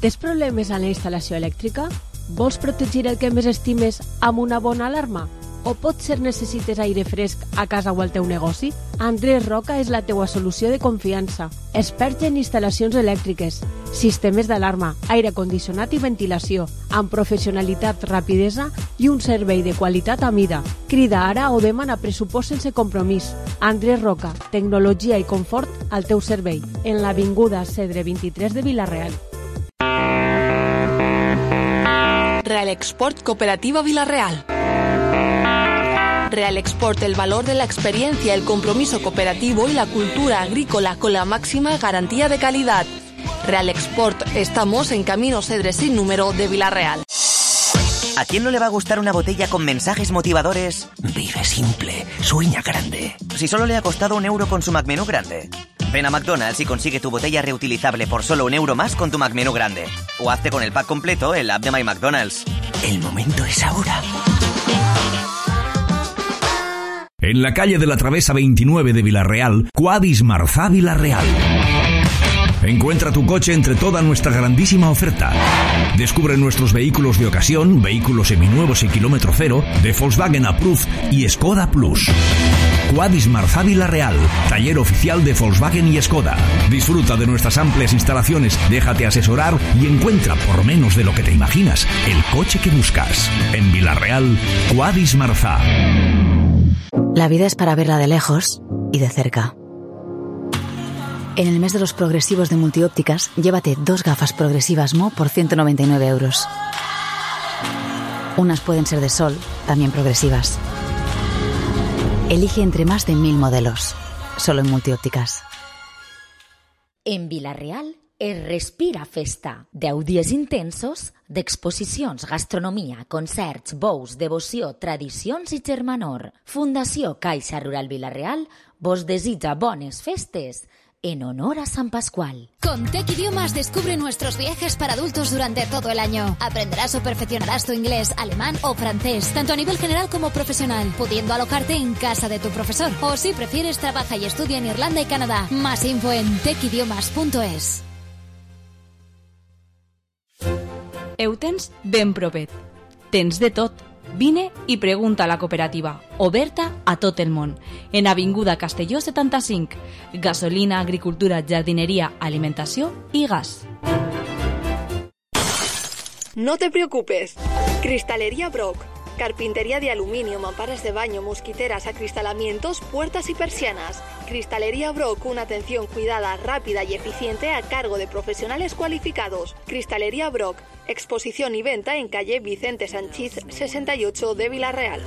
Speaker 4: Tens problemes a la instal·lació elèctrica? Vols protegir el que més estimes amb una bona alarma? O potser necessites aire fresc a casa o al teu negoci? Andrés Roca és la teua solució de confiança. Expert en instal·lacions elèctriques, sistemes d'alarma, aire condicionat i ventilació, amb professionalitat, rapidesa i un servei de qualitat a mida. Crida ara o demana pressupost sense compromís. Andrés Roca, tecnologia i confort al teu servei, en l'avinguda Cedre vint-i-tres de Vila-real.
Speaker 7: Real Export Cooperativa Vila-real. Real Export, el valor de la experiencia, el compromiso cooperativo y la cultura agrícola con la máxima garantía de calidad. Real Export, estamos en Camino Cedre sin número de Vila-real.
Speaker 10: ¿A quién no le va a gustar una botella con mensajes motivadores? Vive simple, sueña grande. Si solo le ha costado un euro con su McMenú grande. Ven a McDonald's y consigue tu botella reutilizable por solo un euro más con tu McMenú grande. O hazte con el pack completo en la app de My McDonald's. El momento es ahora.
Speaker 12: En la calle de la Travesa veintinueve de Vila-real, Quadis Marzá Vila-real. Encuentra tu coche entre toda nuestra grandísima oferta. Descubre nuestros vehículos de ocasión, vehículos seminuevos y kilómetro cero, de Volkswagen Approved y Skoda Plus. Quadis Marzá Vila-real, taller oficial de Volkswagen y Skoda. Disfruta de nuestras amplias instalaciones, déjate asesorar y encuentra, por menos de lo que te imaginas, el coche que buscas. En Vila-real, Quadis Marzá.
Speaker 24: La vida es para verla de lejos y de cerca. En el mes de los progresivos de Multiópticas, llévate dos gafas progresivas Mo por ciento noventa y nueve euros. Unas pueden ser de sol, también progresivas. Elige entre más de mil modelos, solo en Multiópticas.
Speaker 14: En Vila-real es Respira Festa. Deu dies intensos d'exposicions, gastronomia, concerts, bous, devoció, tradicions i germanor. Fundació Caixa Rural Vila-real vos desitja bones festes en honor a San Pascual.
Speaker 25: Con Tech Idiomas descubre nuestros viajes para adultos durante todo el año. Aprenderás o perfeccionarás tu inglés, alemán o francés, tanto a nivel general como profesional, pudiendo alojarte en casa de tu profesor. O si prefieres, trabaja y estudia en Irlanda y Canadá. Más info en tech idiomas punto es.
Speaker 26: Ho tens ben propet. Tens de tot. Vine i pregunta a la cooperativa, oberta a tot el món, en Avinguda Castelló setanta-cinc. Gasolina, agricultura, jardineria, alimentació i gas.
Speaker 7: No te preocupes. Cristalería Brock. Carpintería de aluminio, mamparas de baño, mosquiteras, acristalamientos, puertas y persianas. Cristalería Brock, una atención cuidada, rápida y eficiente a cargo de profesionales cualificados. Cristalería Brock, exposición y venta en calle Vicente Sanchís sesenta y ocho de Vila-real.